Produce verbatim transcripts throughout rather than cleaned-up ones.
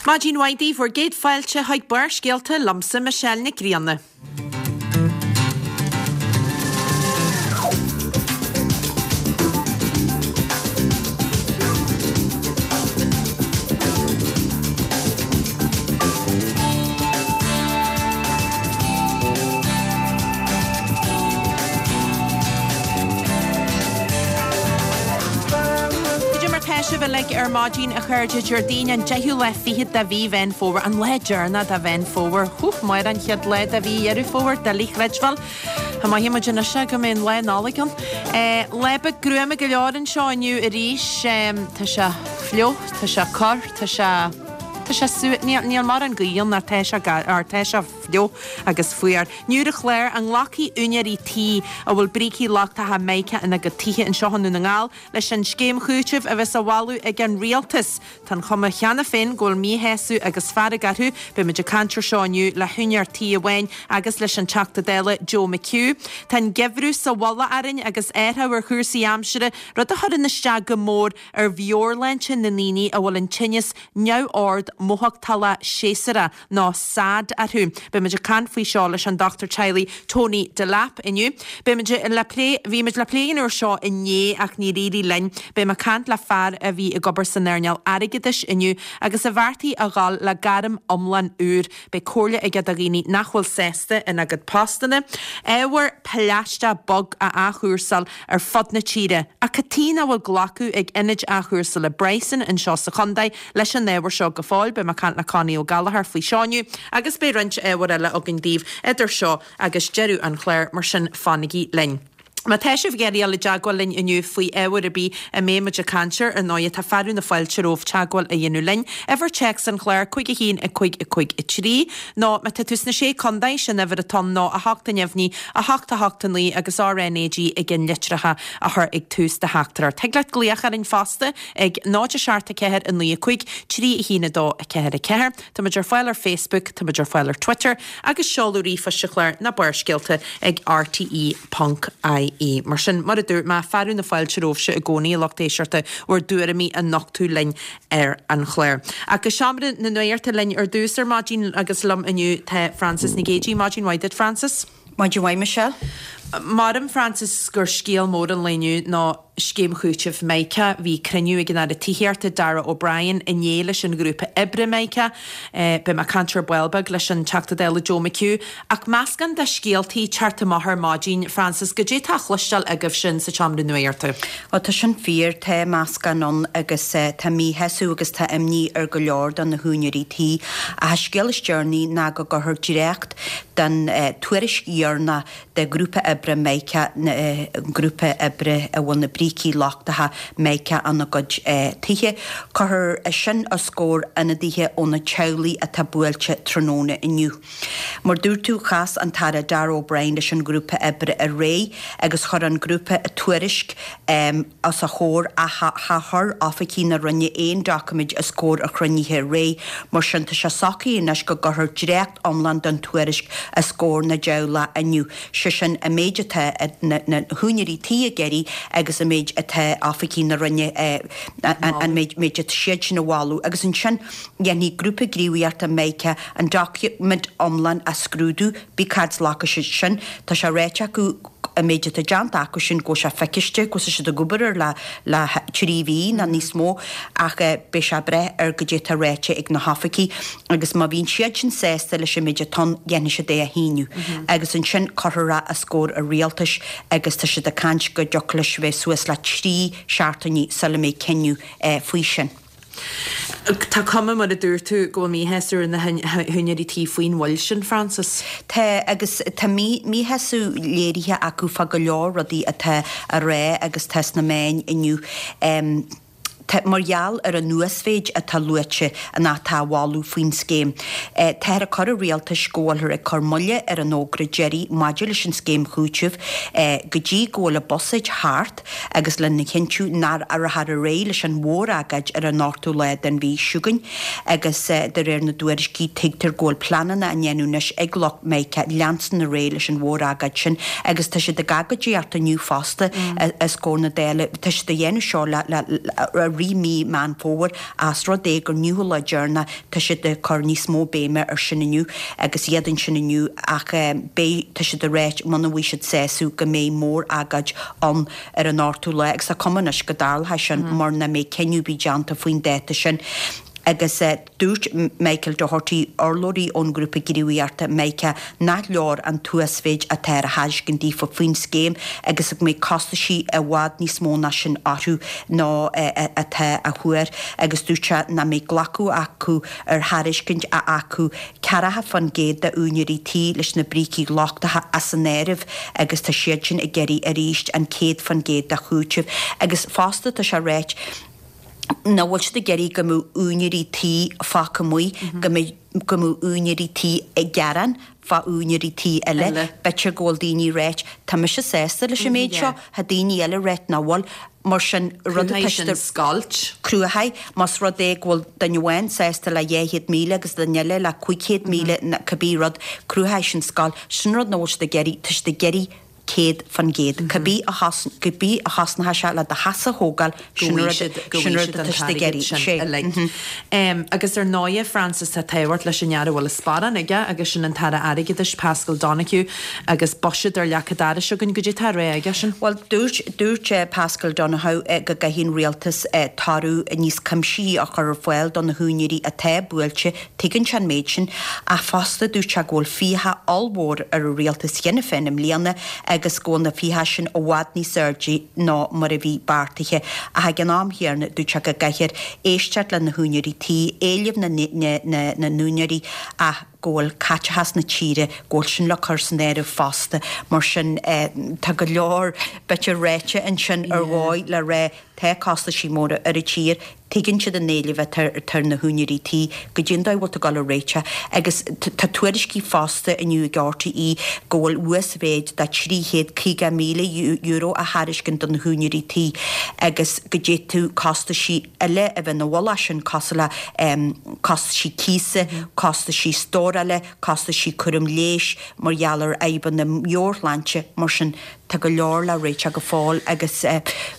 Maidin mhaith daoibh bhur gcéad fáilte chuig Barrscéalta liomsa Michelle Nic Grianna. Cad é mar tá sibh uilig ar maidin a chairde Déardaoin an deichiú lá fichead de mhí Mheán Fómhair an lá deireanach de Mheán Fómhair. Hú mar an chéad lá de mhí Dheireadh Fómhair doiligh a chreidbheáil. Tá maith muid anois go mbeidh an lá Nollag ann. Lá beag gruama go leor anseo inniu arís tá sé fliuch, tá sé corr, tá sé tá sé sú níl mórán gaoth ann tá sé tá sé fliuch agus fuar. Inniu ar an chlár an nglacfaidh úinéirí tí a bhfuil brící lochtacha mica ina gcuid tithe anseo i nDún na nGall leis an scéim chúitimh a bheas á mholadh ag an rialtas. Tá an chuma cheana féin go bhfuil míshásamh agus fearg orthu, beimid ag caint air seo inniu le húinéir tí amháin agus leis an Teachta Dála Joe McHugh. Tá an geimhreadh sa mhullach orainn agus athrú ar chúrsaí aimsire, rud a chuireann isteach go mór ar mheabhairshláinte na ndaoine a bhfuil an tinneas neamhord mothachtála séasúrach nó SAD orthu. Beimid ag caint faoi seo leis an dochtúir teaghlaigh Tony Delap inniu. Beimid le plé bhí muid le plé an uair seo inné ach níor éirigh linn. Beidh mé ag caint le fear a bhí ag obair san earnáil airgeadais inniu agus a bheartaigh a dhul le gairm iomlán úr. Beidh comhairle aige do dhaoine nach bhfuil sásta ina gcuid postanna. Ábhar plaisteach bog á athchúrsáil ar fud na tíre. Ach cad chuige nach bhfuil glacadh ag ionad athchúrsála Bryson anseo sa chontae leis an ábhar seo go fóill, beidh mé ag caint le Connie Ó Gallchóir faoi seo inniu agus beidh roinnt ábhar eile againn daoibh idir seo agus deireadh an chláir mar sin fanaigí linn. Má tá sibh ag iarraidh dul i dteagmháil linn inniu faoi ábhar ar bith a mbeidh muid ag caint air ar ndóigh tá fearadh na fáilte romhaibh teagmháil a dhéanamh linn. Uimhir téacs an chláir cúig a haon a cúig a cúig a trí nó má tá tú sna sé contae sin uimhir atá ann ná a hocht a neamhní a hocht a hocht a naoi agus RNAG ag an litreacha a chur ag tús do theachtaireacht. Thig leat glaoch orainn fosta ag náid a seacht a ceathair a naoi a cúig trí a haon a dó a ceathair a ceathair. Tá muid ar fáil ar Facebook, tá muid ar fáil ar Twitter agus seoladh ríomhphoist an chláir ná Barrscéalta ag RTE ponc IE. Mar sin mar a dúirt mé fearadh na fáilte romhaibhse i gcónaí a lucht éisteachta bhur dtuairimí a nochtadh linn ar an chlár. Ach go seomra na nuachta linn ar dtús ar maidin agus liom inniu tá Frances Nic Géadaigh maidin mhaith duit Frances. Maidin mhaith Michelle. Maram Frances gur scéal mór an lae inniu ná scéim chúitimh Mica, bhí cruinniú ag an Aire Tithíochta Darragh O'Brien inné leis an ghrúpa oibre Mica, beidh mé ag caint ar ball beag leis an Teachta Dála Joe McHugh. Ach meascán de scéaltaí teacht amach ar maidin, Frances, goidé tá á chloisteáil agaibh sin sa tseomra nuachta. Ó tá sin fíor tá meascán ann agus tá míshásamh agus tá imní ar go leor de na húinéirí tí. Ach an scéal is deireanaí ná go gcuirfear dréacht den tuairisc dheireanach de ghrúpa oibre Mica grúpa oibre a bhfuil na brící lochtacha mica ina gcuid tithe. Cuirfear sin os comhair ionadaithe ó na teaghlaigh atá buailte tráthnóna inniu. Mar dúirt tú chas an tAire Darragh O'Brien leis an ghrúpa oibre aréir agus chuir an grúpa tuairisc um, os a chomhair ach chuir oifigigh na Roinne aon doiciméid os comhair an chruinnithe aréir, mar sin tá sé socraithe anois go gcuirfear dréacht iomlán den tuairisc os comhair na dteaghlach inniu. sé sin an méid atá na, na húinéirí tí ag iarraidh agus an méid atá oifigigh na Roinne an méid méid atá siad sin a mholadh agus ansin dhéanfaidh grúpa gníomhaíochta Mica an doiciméad iomlán a scrúdú bí cad glacfaidh siad sin tá sé ráite acu an méid atá déanta acu sin go sé phacáiste go siad ag obair ar le le trí mhí nó níos mó ach beidh sé breith ar goidé atá ráite ag na hoifigigh agus má bhíonn siad sin sásta leis an méid atá ann dhéanfaidh siad é a shíniú. Agus ansin cuirfear é os comhair an rialtais agus tá siad ag caint go dtiocfadh leis bheith suas le trí seachtainí sula mbeidh cinneadh faoi sin. Tá cuma mar a dúirt tú go bhfuil míshásamh ar na húinéirí tí faoin mhoill sin, Frances. Tá agus tá míshásamh léirithe acu fá go leor rudaí atá á rá agus tá sna meáin inniu. Um, mar gheall ar an uasmhéid atá luaite an atá á mholadh faoin scéim. Táthar ag cur an rialtais go bhfuilthear ag cur moille ar an fhógra deiridh maidir leis an scéim chúitimh go dtí go bhfuil an buiséad thart agus lena chinntiú nach rachfar ar aghaidh leis an mhór-agóid ar an ochtú lá den mhí seo chugainn agus de réir na dtuairiscí tuigtear go bhfuil pleananna á ndéanamh anois ag lucht Mica leanstan ar aghaidh leis an mhór-agóid sin agus tá siad ag agóidíocht inniu fosta os comhair na Dála tá siad a dhéanamh seo le, le, rith mí Meán Fómhair ós rud é gur inniu an lá deireanach tá siad ag cur níos mó béime ar sin inniu agus iad ansin inniu ach beidh tá siad ag ráit muna bhfaighidh siad sásamh go mbeidh mór-agóid ann ar an ochtú lá agus tá cuma anois go dtarlóidh sin mura mbeidh cinneadh ar bith déanta faoin dáta sin. Agus dúirt Michael Doherty, urlabhraí ón ngrúpa gníomhaíochta Mica, nach leor an t-uasmhéid atá ar thairiscint daofa faoin scéim agus go mbeidh costaisí i bhfad níos mó ná sin orthu ná atá á thuar agus dúirt sé nach mbeidh glacadh acu ar thairiscint a fhágfadh ceathracha faoin gcéad d'úinéirí tí leis na brící lochtacha as an áireamh agus tá siad sin ag iarraidh arís an céad faoin gcéad de chúiteamh agus fosta tá sé ráite nach bhfuil siad ag iarraidh go mbeadh úinéirí tí fágtha amuigh, go mbeidh go mbeadh úinéirí tí ag gearán fá úinéirí tí eile. B'fhéidir go bhfuil daoine ag ráit, tá mise sásta leis an méid seo, tá daoine eile ag ráit nach bhfuil. Mar sin, rud atá siad a. scoilt. Cruthaigh, más rud é go bhfuil duine amháin sásta le dhá chéad míle agus duine eile le cúig chéad míle, cibé rud, cruthóidh sin scoilt. Sin rud nach bhfuil siad ag iarraidh, tá siad ag iarraidh céad faoin gcéad. Cibé a cibé a chosnóidh sé le do theach a thógáil, sin rud sin rud atá siad ag iarraidh. Sé. Agus ar ndóighe, Frances, tá tábhacht leis an fhear a bhfuil an sparán aige agus sin an tAire Airgeadais, Paschal Donohoe, agus buiséad ar leac an dorais againn. Goidé tá á rá aige sin? Bhuel, dúirt dúirt Paschal Donohoe go gcaithfidh an rialtas toradh níos cuimsithí a chur ar fáil do na húinéirí atá buailte. Tuigeann sé an méid sin. Ach fosta dúirt sé go bhfuil fiacha ollmhór ar an rialtas cheana féin i mbliana agus go bhfuil na fiacha sin i bhfad níos airde ná mar a bhí beartaithe. Ach ag an am chéanna dúirt sé go gcaithfear éisteacht le na húinéirí tí, éilimh na na n-úinéirí ach go bhfuil caiteachas na tíre, go bhfuil sin le cur san áireamh fosta. Mar sin tá go leor b'fhéidir ráite ansin ar dhóigh le rá tá costaisí móra ar an tír, tuigeann siad an éileamh atá ar na húinéirí tí, goidé an dóigh a bhfuil tú ag dul a réiteach. Agus tá tuairiscí fosta inniu ag RTÉ go bhfuil uasmhéid de trí chéad caoga míle euro á thairiscint do na húinéirí tí agus go d'fhéadfadh costaisí eile a bheith ina mhullach sin cosúil le costaisí cíosa, costaisí stórála, costaisí cúram leighis mar gheall ar fhadhbanna meabhairshláinte mar sin. Tá go leor le réiteach go fóill agus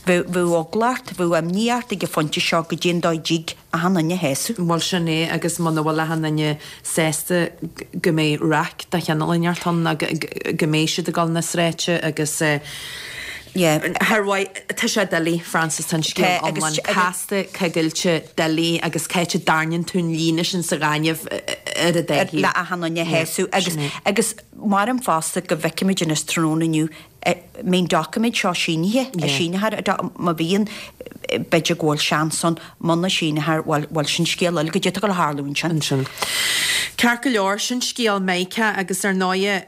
bheadh eagla ort, bheadh imní ort ag an phointe seo goidé an dóigh a dtig achan duine a shásamh. Bhuel sin é agus muna bhfuil achan duine sásta go mbeidh raic de chineál inteacht ann ná go mbeidh siad ag dul na sráide agus Yeah. Thar mhaith, tá sé doiligh, Frances, tá an scéal iomlán casta, coigilte, doiligh agus cá háit a dtarraingíonn tú an líne sin sa ghaineamh ar an dá thaobh. Le achan duine a shásamh agus agus maram fosta go bhfeicfimid anois tráthnóna inniu mbeidh an doiciméad seo sínithe, a síneofar, má bhíonn, b'fhéidir go bhfuil seans ann, muna síneofar, bhuel, bhuel, sin scéal eile, goidé atá ag dul a tharlú ansin. Ansin. Ceart go leor, sin scéal Micah agus ar ndóighe,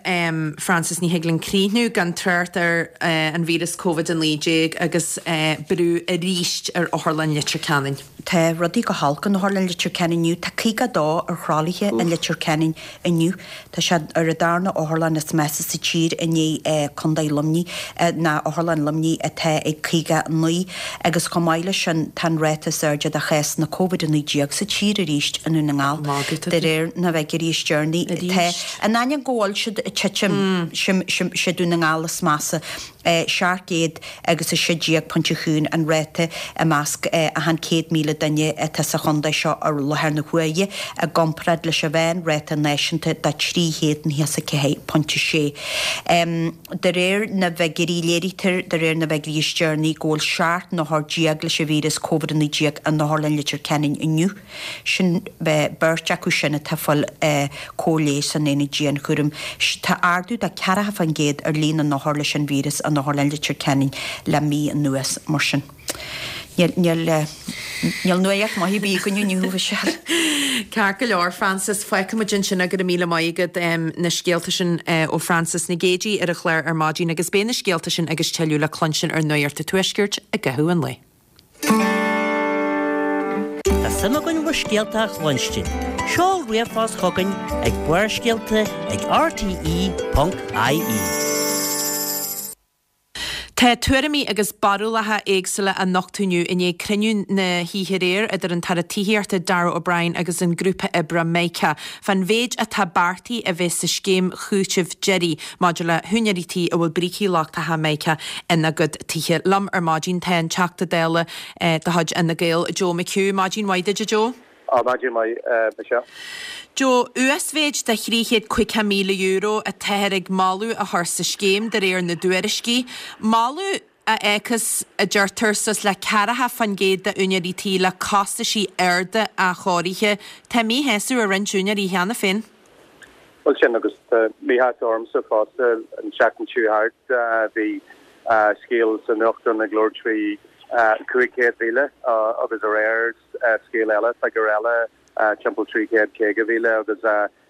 Frances, ní thig linn críochnú gan trácht ar an víreas Covid a naoi déag agus brú arís ar Otharlann Leitir Ceanainn. Tá rudaí go holc in Otharlann Leitir Ceanainn inniu. Tá caoga a dó ar thralaithe i Leitir Ceanainn inniu. Tá sé ar an darna otharlann is measa sa tír i ndiaidh Contae Luimnigh, ná Otharlann Luimnigh atá ag caoga a naoi. Agus chomh maith leis sin tá an ráta is airde de chásanna Covid a naoi déag sa tír arís i nDún na nGall, de réir na bhfigiúirí is deireanaí. Tá, in ainneoin go bhfuil siad ag titim, sé Dún na nGall is measa. seacht gcéad agus a sé déag pointe chúin an ráta i measc achan céad míle duine atá sa chontae seo i láthair na huaire, i gcomparáid leis an mheánráta náisiúnta de trí chéad nócha is a ceathair pointe sé. De réir na bhfigiúirí, léirítear de réir na bhfigiúirí is deireanaí go bhfuil seacht n-othar déag leis an víreas Covid a naoi déag in Otharlann Leitir Ceanainn inniu. Sin beirt acu sin atá ag fáil cóir leighis san aonad dianchúraim. Tá ardú de ceathracha faoin gcéad ar líon na n-othar leis an víreas in Otharlann Leitir Ceanainn le mí anuas. Mar sin, níl, níl, níl nuacht maith ar bith againn inniu, a Mhichelle. Ceart go leor, Frances, fágfaimid ansin é, go raibh míle maith agat na scéalta sin ó Frances Nic Géadaigh ar an chlár ar maidin agus beidh na scéalta sin agus tuilleadh le cluinstin ar Nuacht an Tuaiscirt i gcaitheamh an lae. Tá suim againn bhur scéalta a chluinstin. Seol ríomhphost chugainn ag Barrscéalta ag rte ponc ie. Tá tuairimí agus barúlacha éagsúla á nochtadh inniu i ndiaidh cruinniú na hoíche aréir idir an tAire Tithíochta Darragh O'Brien agus an grúpa oibre Mica fán mhéid atá beartaithe a bheith sa scéim chúitimh deiridh maidir le húinéirí tí a bhfuil brící lochtacha Mica ina gcuid tithe. Liom ar maidin tá an Teachta Dála de chuid Fhine Gael Joe McHugh. Maidin mhaith duit, a Joe. Á maidin mhaith Michelle. Joe, uasmhéid de thrí chéad caoga míle euro atáthar ag moladh a chur sa scéim de réir na dtuairiscí. Moladh a fhéachas a deirtear suas le ceathracha faoin gcéad d'úinéirí tí le costaisí arda athchóirithe. Tá míshásamh ar roinnt úinéirí cheana féin. Bhuel sin agus tá míshásamh ormsa fosta an tseachtain seo thart bhí scéal sa nuachtán ag labhairt faoi cúig chéad mhíle agus aréir scéal eile, figiúr eile timpeall trí chéad caoga mhíle agus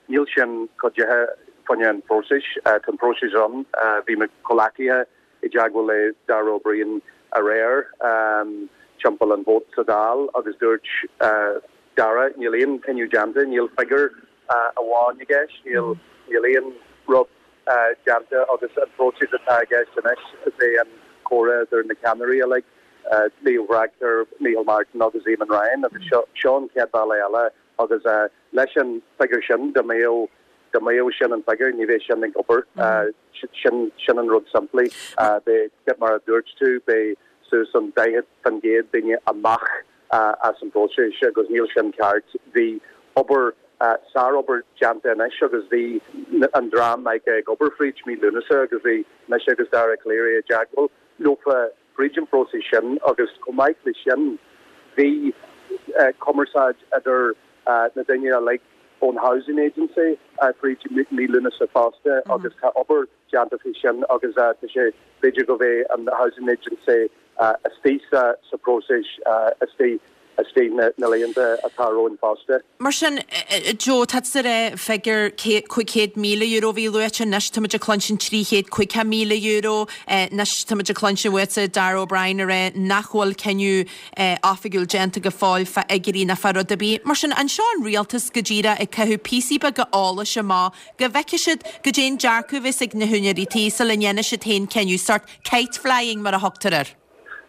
níl sin cuidithe fá choinne an phróisis. Tá an próiseas ann, bhí mo chomhghleacaithe i dteagmháil le Darragh O'Brien aréir timpeall an vóta sa Dáil agus dúirt Darragh níl aon cinneadh déanta, níl figiúr amháin i gceist, níl níl aon rud déanta agus an próiseas atá i gceist anois is é an comhrá idir na ceannairí uilig, Leo Varadkar, Micheál Martin agus Eamon Ryan agus seo seo an chéad bhealach eile agus leis an figiúr sin dá mbeadh dá mbeadh sin an figiúr ní bheidh sin ag obair sin sin an rud simplí beidh mar a dúirt tú beidh suas an daichead faoin gcéad daoine amach as an bpróiseas agus níl sin ceart. Bhí obair sárobair déanta anois agus bhí an dream Mica ag obair fríd mí Lúnasa agus bhí mise agus Dara Calleary i dteagmháil leofa fríd an phróiseas sin agus chomh maith leis sin bhí cumarsáid idir na daoine uilig ón Housing Agency fríd mí Lúnasa fosta agus tá obair déanta faoi sin agus tá sé b'fhéidir go bheidh an Housing Agency istigh sa sa próiseas istigh istigh na na laethanta atá romhainn fosta. Mar sin, Joe, tá tú ag rá figiúr cúig chéad míle euro a bhí luaite, anois táimid ag cluinstin trí chéad caoga míle euro, anois táimid ag cluinstin uaitse Darragh O'Brien ag rá nach bhfuil cinneadh oifigiúil déanta go fóill fá fhigiúirí ná fá rud ar bith. Mar sin, an seo an rialtas go díreach ag caitheamh píosaí beaga eolais amach go bhfeicfidh siad goidé an dearcadh a bheas ag na húinéirí tí sula ndéanfaidh siad féin cinneadh, sort kite flying mar a thugtar air?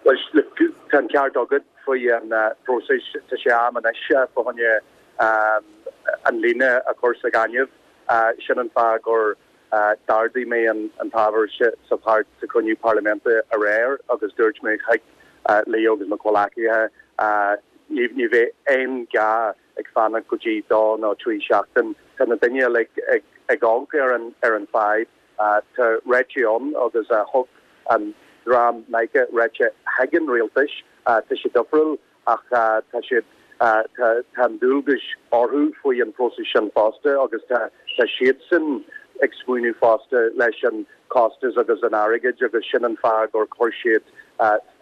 Bhuel, look, tá an ceart agat faoi an próiseas, tá sé am anois fá choinne an líne a chur sa ghaineamh. Sin an fáth gur d'ardaigh mé an t-ábhar sa pháirt sa chruinniú parlaiminte aréir agus dúirt mé chuig Leo agus mo chomhghleacaithe ní ní bheidh aon ghá ag fanacht go dtí dó nó trí seachtain. Tá na daoine uilig ag ag amharc ar an ar an fadhb. Tá réiteach ann agus thug an dream Mica réiteach chuig an rialtas. Tá sé difriúil ach tá siad tá tá an dualgas orthu faoi an próiseas sin fosta agus tá tá siadsan ag smaoineamh fosta leis an costas agus an airgead agus sin an fáth gur chuir siad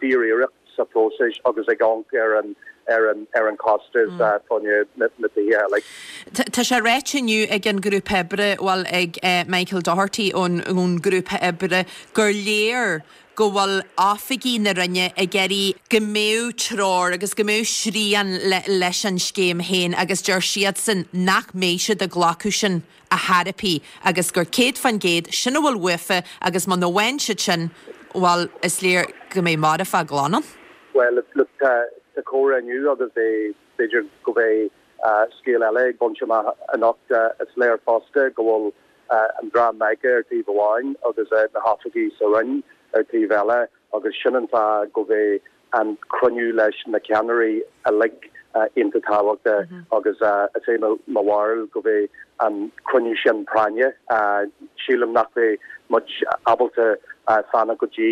fíor-iarracht sa phróiseas agus ag amharc ar an ar an ar an costas fá choinne na na tithe uilig. Tá sé ráite inniu ag an ghrúpa oibre, bhuel ag Michael Doherty ón ón ghrúpa oibre gur léir go bhfuil oifigigh na Roinne ag iarraidh go mbeadh treoir agus go mbeadh srian leis an scéim féin agus deir siadsan nach mbeidh siad ag glacadh sin a thairpí agus gur céad faoin gcéad sin a bhfuil uafa agus muna bhfaigheann siad sin, bhuel, is léir go mbeidh marfach glan ann. Bhuel, look, tá tá comhrá inniu agus beidh b'fhéidir go mbeidh scéal eile ag baint amach anocht. Is léir fosta go bhfuil an dream Mica ar taobh amháin agus na hoifigigh sa Roinn ar taobh eile agus sin an fáth go mbeidh an cruinniú leis na ceannairí uilig iontach tábhachtach agus is é mo bharúil go mbeidh an cruinniú sin práinne. Sílim nach mbeidh muid ábalta fanacht go dtí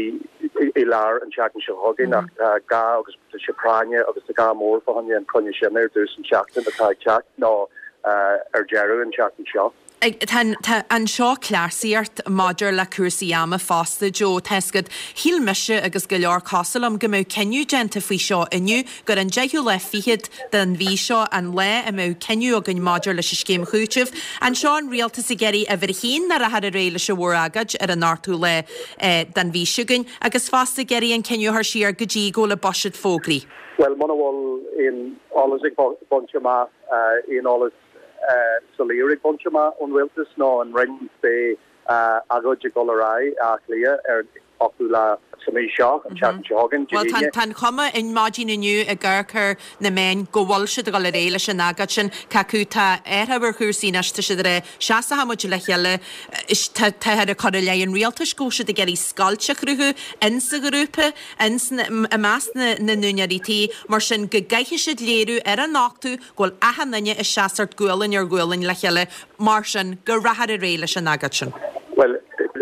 i lár an tseachtain seo chugainn ach tá gá agus tá sé práinne agus tá gá mór fá choinne an cruinniú sin ar dtús an tseachtain atá ag teacht nó ar deireadh an tseachtain seo. Tá anseo cleasaíocht maidir le cúrsaí ama fosta, Joe. Tá 'fhios agat, shíl mise agus go leor cosúil liom go mbeadh cinneadh déanta faoi seo inniu, gur an deichiú lá fichead den mhí seo an lá a mbeadh cinneadh againn maidir leis an scéim chúitimh. Anseo an rialtas ag iarraidh uimhir a haon nach rachfar ar aghaidh leis an mhór-agóid ar an ochtú lá den mhí seo chugainn agus fosta ag iarraidh an cinneadh a chur siar go dtí go bhfuil an buiséad fógraithe. Bhuel, muna bhfuil aon eolas ag baint amach, aon eolas soiléir ag baint amach ón rialtas nó an Roinn beidh agóid ag dul ar aghaidh Áth Cliath ar ochtú lá sa mhí seo, an tseachtain seo chugainn, Dé Bhuel, hAoine. tá an chuma ar maidin inniu ag amharc ar na meáin go bhfuil siad ag dul ar aghaidh leis an agóid sin. Cé acu tá athrú ar chúrsaí anois, tá siad ag rá, seasfaidh muid le chéile, tá táthar ag cur i leith an rialtais go bhfuil siad ag iarraidh scoilt a chruthú in sa ghrúpa, ins na, i measc na n-úinéirí tí, mar sin go gcaithfidh siad léiriú ar an ochtú go bhfuil achan duine ag seasamh gualainn ar ghualainn le chéile, mar sin go rachfar ar aghaidh leis an agóid sin. Bhuel,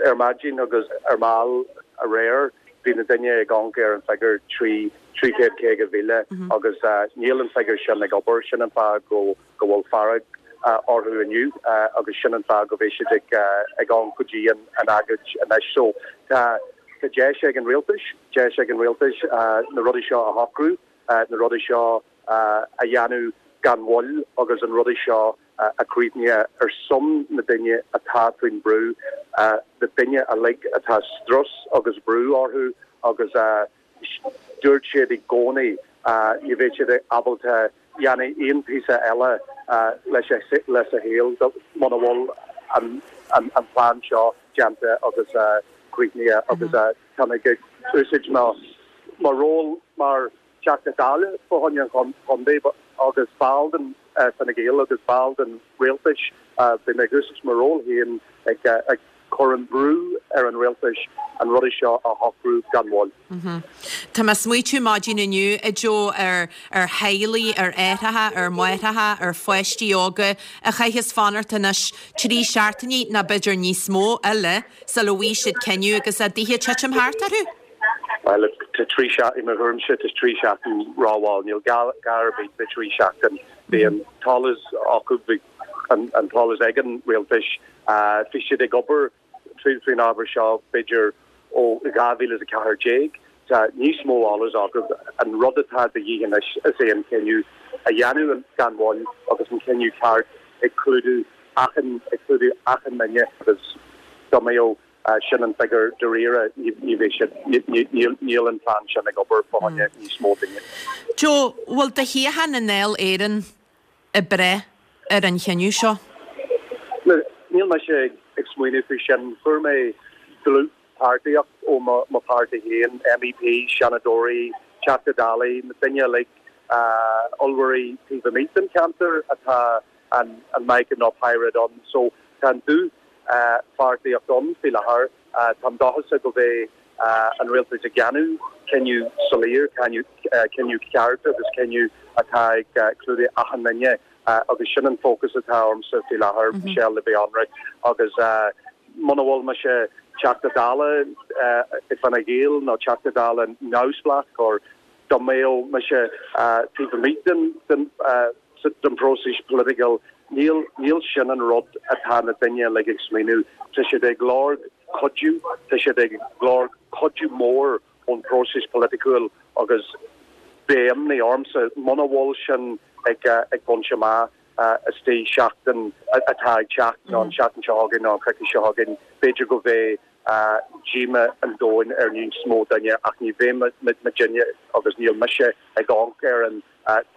ar maidin agus ar ball aréir bhí na daoine ag amharc ar an figiúr trí trí chéad caoga mhíle agus níl an figiúr sin ag obair, sin an fáth go go bhfuil fearg orthu inniu agus sin an fáth go bhfuil siad ag ag amharc go dtí an an agóid anois. So tá tá deis ag an rialtas, deis ag an rialtas na rudaí seo a shocrú, na rudaí seo a dhéanamh gan mhoill agus an rudaí seo a chríochnú ar son na daoine atá faoin brú, na daoine uilig atá strus agus brú orthu agus dúirt siad i gcónaí ní bheidh siad ábalta dhéanamh aon píosa eile leis leis a shaol muna bhfuil an an an plean seo déanta agus críochnaithe agus tá mé ag úsáid mo mo ról mar Teachta Dála fá choinne an chontae agus ball den Fine Gael agus ball den rialtas bhí mé ag úsáid mo ról féin ag ag cur an brú ar an rialtas an rudaí seo a shocrú gan mhoill. Tá mé ag smaoitiú maidin inniu a Joe ar ar theaghlaigh, ar aithreacha, ar mháithreacha, ar pháistí óga a chaithfeas fanacht anois trí seachtainí nó b'fhéidir níos mó eile sula bhfaighidh siad cinneadh agus a dtithe ag titim thart orthu. Well, tá trí i mo thuairimse tá trí seachtain rómhall, níl gá ar bith le trí seachtain. Bhí an t-eolas acu bhí an an t-eolas ag an rialtas bhí siad ag obair faoin ábhar seo b'fhéidir ó dhá mhíle is a ceathair déag. Tá níos mó eolas acu an rud atá de dhíth anois is é an cinneadh a dhéanamh gan mhoill agus an cinneadh ceart ag clúdú achan ag clúdú achan duine agus dá mbeadh sin an figiúr dáiríre ní bheidh siad níl an plean sin ag obair fá choinne níos mó daoine. Joe, bhfuil do shuíochán i nDáil Éireann ag brath ar an chinneadh seo? Níl mise ag smaoineamh faoi sin. Fuair mé dlúthpháirtíocht ó mo pháirtí féin, MEP, Seanadóirí, Teachta Dála, na daoine uilig allmhairí taobh amuigh den cheantar atá an an Mica nó pyrite ann. So tá an dlúthpháirtíocht ann faoi láthair. Táim dóchasach go mbeidh an rialtas ag déanamh cinneadh soiléir, cinneadh ceart agus cinneadh atá ag clúdú achan duine agus sin an focus atá ormsa faoi láthair Michelle le bheith ionraic agus muna bhfuil mise Teachta Dála i Fine Gael nó Teachta Dála neamhspleách or dá mbeadh mise taobh amuigh den den den próiseas political níl níl sin an rud atá na daoine uilig ag smaoineamh. Tá siad ag lorg cuidiú, tá siad ag lorg cuidiú mór ón próiseas political agus beidh imní ormsa muna bhfuil sin ag ag baint amach istigh seachtain atá ag teacht nó an seachtain seo chugainn nó an coicís seo chugainn, b'fhéidir go mbeidh díomá an domhain ar níos mó duine ach ní bheidh muidinne agus níl mise ag amharc ar an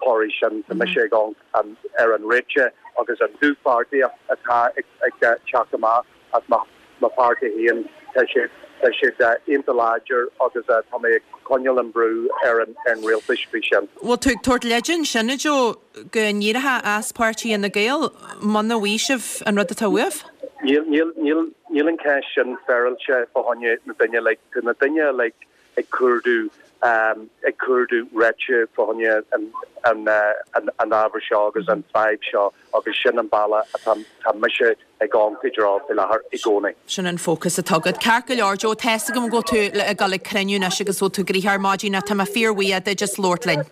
toradh sin, tá mise ag amharc ar an réiteach agus an dlúthpháirtíocht atá ag teacht amach as mo pháirtí féin tá siad tá siad iontach láidir agus tá mé ag coinneáil an brú ar an ar an rialtas faoi sin. Bhfuil tú ag tabhairt leide ansin a Joe go n-éireofá as páirtí Fhine Gael muna bhfaighidh sibh an rud atá uaibh? Níl níl níl níl an ceist sin féaráilte fá choinne na daoine uilig tá na daoine uilig ag cuardú ag cuardú réiteach fá choinne an an an an ábhar seo agus an fadhb seo agus sin an bealach atá tá mise ag amharc i dtreo faoi láthair i gcónaí. Sin an fócas atá agat. Ceart go leor Joe, tá a fhios agam go bhfuil tú ag dul ag cruinniú anois agus bhfuil tú gnoitheach ar maidin ach tá mé fíorbhuíoch duit as labhairt linn.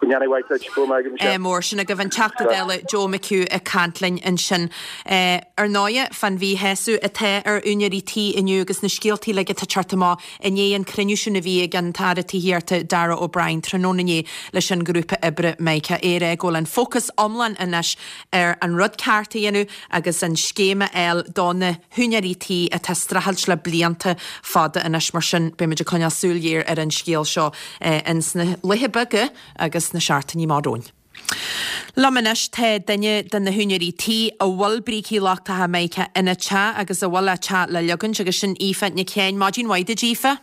Go ndéana mhaith duit, go raibh maith agat Michelle. Mór sin agaibh an Teachta Dála Joe McHugh ag caint linn ansin. Ar ndóighe, fán mhíshásamh atá ar úinéirí tí inniu agus na scéaltaí uilig atá ag teacht amach i ndiaidh an cruinniú sin a bhí ag an tAire Tithíochta Darragh O'Brien tráthnóna inné leis an ngrúpa oibre Mica. É ag rá go bhfuil an fócas iomlán anois ar an rud ceart a dhéanamh agus an scéim a fháil do na húinéirí tí atá ag streachailt le blianta fada anois mar sin beimid ag coinneáil súil ghéar ar an scéal seo ins na laetha beaga agus na seachtainí amach romhainn. Liom anois tá duine de na húinéirí tí a bhfuil brící lochtacha Mica ina teach agus a bhfuil a teach le leagaint agus sin Aoife Nic Sheáin. Maidin mhaith duit Aoife.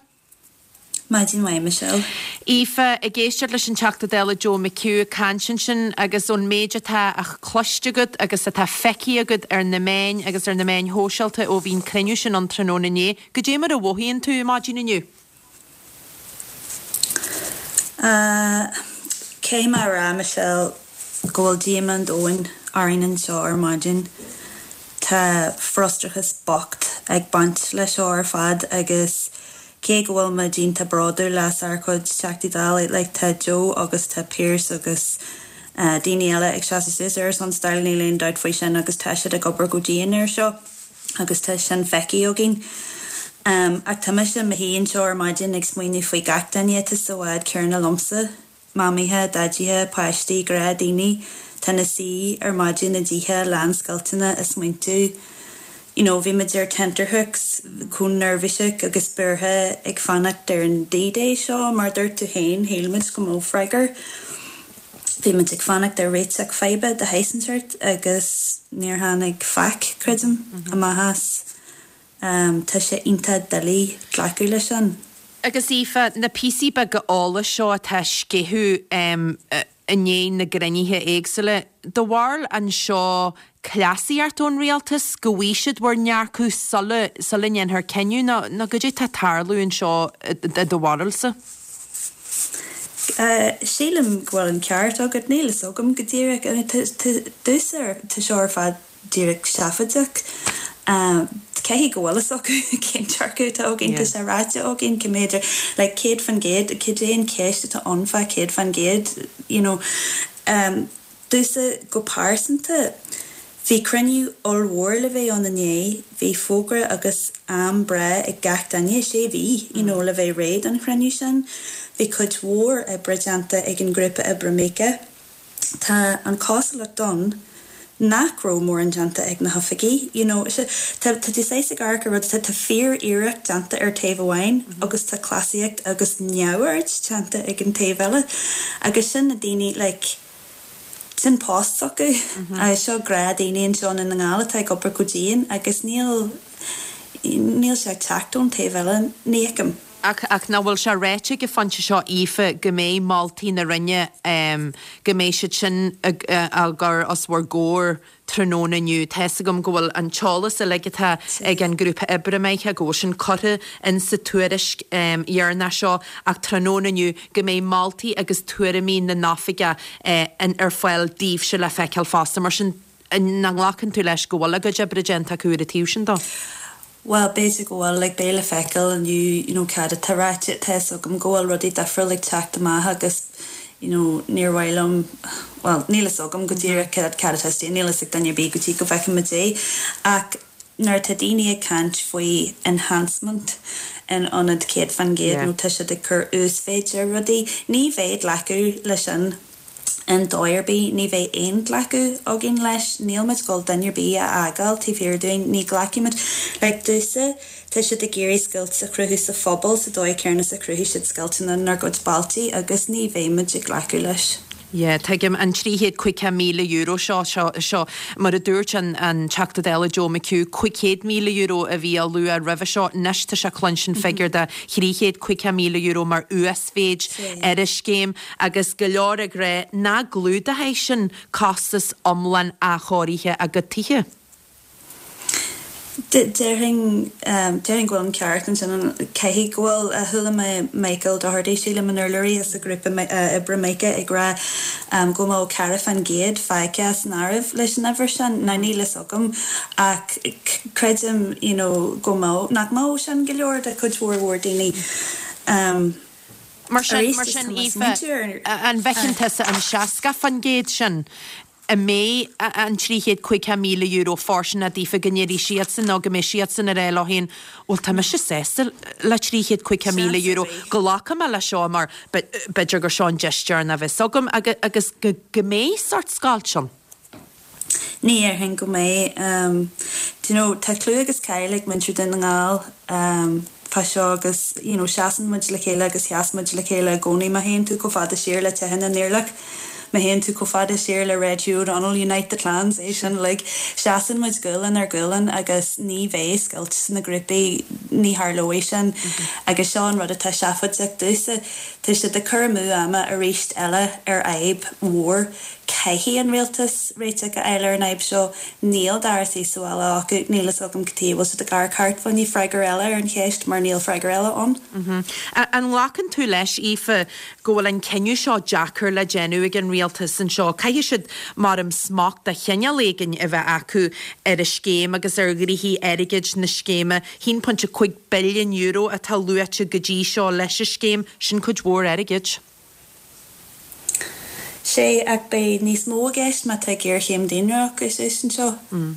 Maidin mhaith, Michelle. Aoife, ag éisteacht leis an Teachta Dála Joe McHugh ag caint ansin agus ón méid atá cloiste agat agus atá feicthe agat ar na meáin agus ar na meáin shóisialta ó bhí an cruinniú sin an tráthnóna inné, goidé mar a mhothaíonn tú maidin inniu? Uh, Caithfidh mé a rá, Michelle, go bhfuil díomá an domhain orainn anseo ar maidin. Tá frustrachas bocht ag baint leis seo ar fad agus cé go bhfuil muid iontach bródúil as ár gcuid Teachtaí Dála like tá Joe agus tá Pearse agus uh, daoine eile ag seasamh suas ar son stáil níl aon dabht faoi sin agus tá siad ag obair go dian ar seo agus tá sin feicthe againn. Um, ach tá mise i mo shuí anseo ar maidin ag smaoineamh faoi gach duine atá sa bhád céanna liomsa, mamaithe, daidithe, páistí, gnáthdhaoine, tá ina suí ar maidin i dtithe lán scoilteanna ag smaointiú. You know, bhí muid ar tenterhooks chomh neirbhíseach agus buartha ag fanacht ar an D-Day seo mar dúirt tú féin shíl muid go mbeadh freagra. Bhí muid ag fanacht ar réiteach faidhbe de shaghas inteacht agus níor tháinig faic creidim amach as. Um, tá sé iontach doiligh glacadh leis sin. Agus Aoife, na píosaí beaga eolais seo atá sceitheadh um, i ndiaidh na gcruinnithe éagsúla, do bharúil an seo cleasaíocht ón rialtas go bhfaighidh siad bhur ndearcadh sula sula ndéanfar cinneadh nó nó goidé tá ag tarlú anseo i do bharúilsa? Uh, sílim go bhfuil an ceart agat níl a fhios agam go díreach domsa tá seo ar fad díreach seafóideach. Um, Caithfidh go bhfuil a fhios acu cén dearcadh atá againn tá sé ráite againn go mb'fhéidir le céad faoin gcéad cad é an cheist atá ann fá céad faoin gcéad you know um, domsa go pearsanta Bhí cruinniú ollmhór le bheith ann inné, bhí fógra agus am breá ag gach duine sé mhí you know, le bheith réidh don chruinniú sin, Bhí cuid mhór oibre déanta ag an grúpa oibre Mica. Tá an cosúlacht ann nach raibh mórán déanta ag na hoifigí. You know, tá tú saghas ag amharc ar rud tá fíor-iarracht déanta ar taobh amháin agus tá cleasaíocht agus neamhaird déanta ag an taobh eile. agus sin na daoine like, sin post acu agus seo gnáthdhaoine anseo i nGall atá ag obair go dian agus níl níl sé ag teacht ón taobh eile ní fheicim. Ach ach nach bhfuil sé ráite ag an phointe seo Aoife go mbeidh moltaí na Roinne um, go mbeidh siad sin á gcur os bhur gcomhair tráthnóna inniu. Tá a fhios agam go bhfuil an t-eolas uilig atá ag an grúpa oibre Mica go bhfuil sin curtha in sa tuairisc um, dheireanach seo ach tráthnóna inniu go mbeidh moltaí agus tuairimí na n-oifigeach eh, ar fáil daoibhse le feiceáil fosta mar sin nach nglacann tú leis go bhfuil a gcuid oibre déanta acu ar an taobh sin dó. Well b'fhéidir go bhfuil like, beidh le feiceáil inniu you know, cad atá ráite tá a fhios agam go bhfuil rudaí difriúil ag teacht amach agus you know, níor mhaith liom well, níl a fhios agam go díreach cad cad atá níl a fhios ag duine ar bith go dtí go bhfeicfimid é ach nuair atá daoine ag caint faoi enhancement in ionad céad faoin gcéad nó tá siad ag cur uasmhéid ar rudaí, ní bheidh glacadh leis sin in dóigh ar bith, ní bheidh aon ghlacadh againn leis, níl muid ag dul duine ar bith a fhágáil taobh thiar dúinn, ní ghlacfaimid like domsa tá siad ag iarraidh scoilt a chruthú sa phobal sa dóigh céanna is a chruthaigh siad scoilteanna inár gcuid bailte agus ní bheidh muid ag glacadh leis. Yeah, tuigim an trí chéad caoga míle euro seo seo seo mar a dúirt an an Teachta Dála Joe McHugh cúig chéad míle euro a bhí á lua roimhe seo anois tá sé cluinstin figiúr de thrí chéad caoga míle euro mar uasmhéid ar an scéim agus go leor ag rá nach gclúdóidh sin costas iomlán athchóirithe a gcuid tithe. Déarfainn déarfainn go bhfuil an ceart ansin caithfidh go bhfuil chuala mé Michael Doherty sílim an urlabhraí as an grúpa oibre Mica ag rá go mbeadh ceathracha faoin gcéad fágtha san áireamh leis an uimhir sin ná níl a fhios agam ach creidim you know, go mbeadh nach mbeadh sin go leor de chuid mhór mhór daoine. Um, Mar sin mar sin Aoife an bhfeiceann tusa an seasca faoin gcéad sin a mbeidh an trí chéad caoga míle euro fóirsteanach daofa go ndéarfaidh siadsan nó go mbeidh siadsan ar leo féin bhuel tá mise sásta le trí chéad caoga míle euro glacfaidh mé le seo mar b'fhéidir gur seo an deis deireanach a bheas agam agus go go mbeidh sórt scoilt ann. Ní dhéarfainn go mbeidh um, do you know, tá clú agus cáil ag muintir Dhún na nGall um, fá seo agus you know, seasann muid le chéile agus sheas muid le chéile i gcónaí má théann tú chomh fada siar le tithe na nIarlach. Má théann tú chomh fada siar le Red Hugh O'Donnell, Unite the Clans, é sin like, seasann muid gualainn ar ghualainn agus ní bheidh scoilt sna grúpaí ní tharlóidh sin. Agus seo an rud atá seafóideach domhsa, tá siad ag cur amú ama arís eile ar fhadhb mhór. Caithfidh an rialtas réiteach a fháil ar an fhadhb seo. Níl dara suí sa bhaile acu, níl fhios agam cad chuige a bhfuil siad ag amharc thart fá choinne freagra eile ar an cheist mar níl freagra eile ann. An nglacann tú leis, Aoife, go bhfuil an cinneadh seo deacair le déanamh ag an rialtas anseo? Caithfidh siad mar am smacht de chineál éigin a bheith acu ar an scéim agus ar ghnoithí airgid na scéime. haon pointe cúig billiún euro atá luaite go dtí seo leis an scéim, sin cuid mhór airgid. Sé ach beidh níos mó i gceist má tá géarchéim daonra acu suas anseo.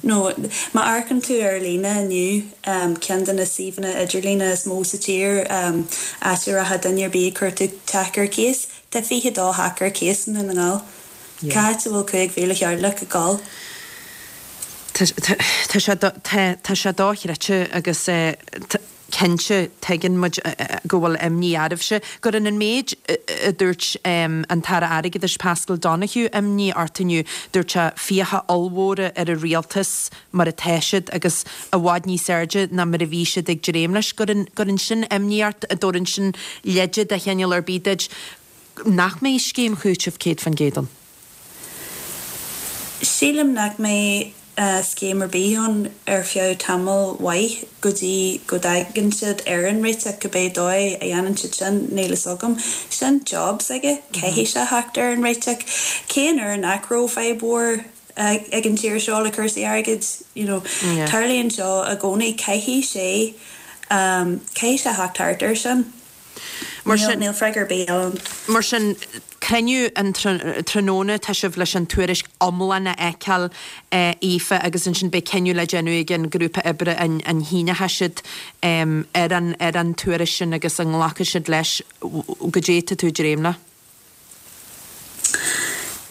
Nó má amharcann tú ar líne inniu, ceann de na suíomhanna idirlíne is mó sa tír, áit a rachadh duine ar bith ag cuartú teach ar cíos, tá fiche dó theach ar cíos i nDún na nGall. Cá háit a bhfuil cúig mhíle theaghlach ag dul? Tá sé tá sé dochreidte agus cinnte tuigeann muid go bhfuil imní oraibhse. Cuireann an méid a dúirt an tAire Airgeadais Paschal Donohoe imní ort inniu. Dúirt sé fiacha ollmhóra ar an rialtas mar atá siad agus i bhfad níos airde ná mar a bhí siad ag dréim leis. Cuireann cuireann sin imní ort, an dtabharann sin leide de chineál ar bith duit nach mbeidh scéim chúitimh céad faoin gcéad ann. Sílim nach mbeidh scéim ar bith ann ar feadh tamall mhaith go dtí go dtagann siad ar an réiteach, cibé dóigh a dhéanann siad sin, níl fhios agam. Sin job s'aige, caithfidh sé theacht ar an réiteach. Cén uair nach raibh fadhb mhór ag an tír seo le cúrsaí airgid, you know. Tarlaíonn seo i gcónaí, caithfidh sé, caithfidh sé theacht thart air sin. Mar sin. Níl freagra ar bith eile ann. Mar sin, cruinniú an tráthnóna, tá sibh leis an tuairisc iomlán a fheiceáil, Aoife, agus ansin beidh cinneadh le déanamh ag an ghrúpa oibre an shíneoidh siad ar an ar an tuairisc sin agus an nglacfaidh siad leis. Goidé tá tú ag dréim le?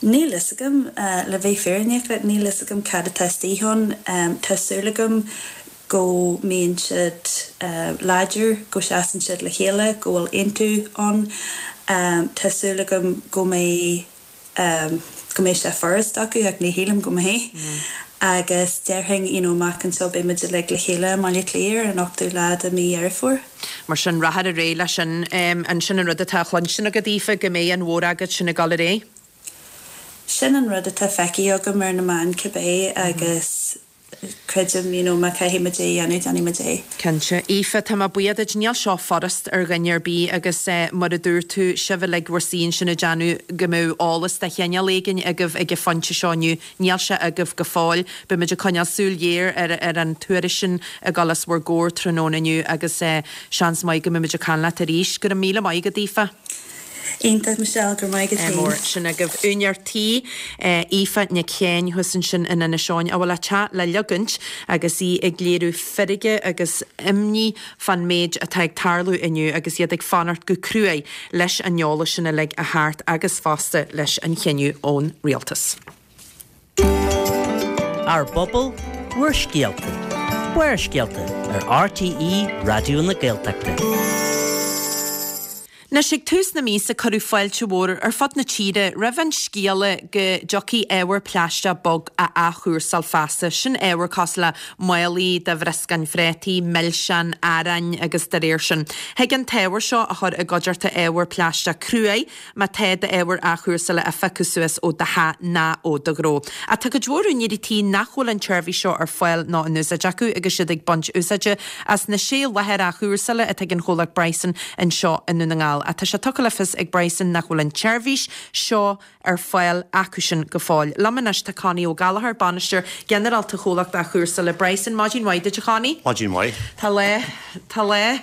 Níl fhios agam, le bheith fírinneach leat, níl fhios agam cad atá istigh ann. Tá súil agam go mbíonn siad láidir, go seasann siad le chéile, go bhfuil aontú ann. Tá súil agam go mbeidh go mbeidh sé furast acu ach ní shílim go mbeidh. Agus déarfainn, you know, amach anseo beidh muid uilig le chéile i mBaile Átha Cliath ar an ochtú lá de mhí Dheireadh Fómhair. Mar sin, rachaidh ar aghaidh leis sin. An sin an rud atá á chluinstin agat, Aoife, go mbeidh an mhóragóid sin ag dul ar aghaidh? Sin an rud atá feicthe agam ar na meáin cibé agus creidim, you know, má caithfidh muid é a dhéanamh, déanfaidh muid é. Cinnte. Aoife, tá mé buíoch duit. Níl seo furast ar dhuine ar bith agus mar a dúirt tú, sibh uilig bhur suí ansin ag déanamh go mbeadh eolas de chineál éigin agaibh ag an phointe seo inniu. Níl sé agaibh go fóill. Beidh muid ag coinneáil súil ghéar ar ar an tuairisc sin ag dul os bhur gcomhair tráthnóna inniu agus seans maith go mbeidh muid ag caint leat arís. Go raibh míle maith agat, Aoife. Iontach, Michelle, go raibh maith agat Mór féin. sin agaibh. Úinéir tí, Aoife Nic Sheáin thuas ansin in Inis Eoghain, a bhfuil a teach le leagaint agus í ag léiriú feirge agus imní fán méid atá ag tarlú inniu agus iad ag fanacht go cruaidh leis an eolas sin uilig a theacht agus fosta leis an chinneadh ón rialtas. Ár bpobal, bhur scéalta. Barrscéalta ar RTÉ Raidió na Gaeltachta. Anois ag tús na míosa cuireadh fáilte mhór ar fud na tíre roimh an scéala go dtiocfaidh ábhar plaisteach bog á athchúrsáil feasta. Sin ábhar cosúil le málaí de bhrioscáin phréataí, milseáin, aráin agus dá réir sin. Thig an t-ábhar seo a chur i gcuideachta ábhar plaisteach cruaidh má tá d'ábhar athchúrsála á phiocadh suas ó do theach ná ó do ghnó. Ach tá cuid mhór úinéirí tí nach bhfuil an tseirbhís seo ar fáil ná in úsáid acu agus siad ag baint úsáide as na sé láthair athchúrsála atá ag an chomhlacht Bryson anseo i nDún na nGall. Ach tá sé tugtha le fios ag Bryson nach bhfuil an tseirbhís seo ar fáil acusin go fóill. Liom anois tá Connie Ó Gallchóir, Bainisteoir Ginearálta Chomhlacht Athchúrsála Bryson. Maidin mhaith duit a Chonnie. Maidin mhaith. Tá lá, tá lá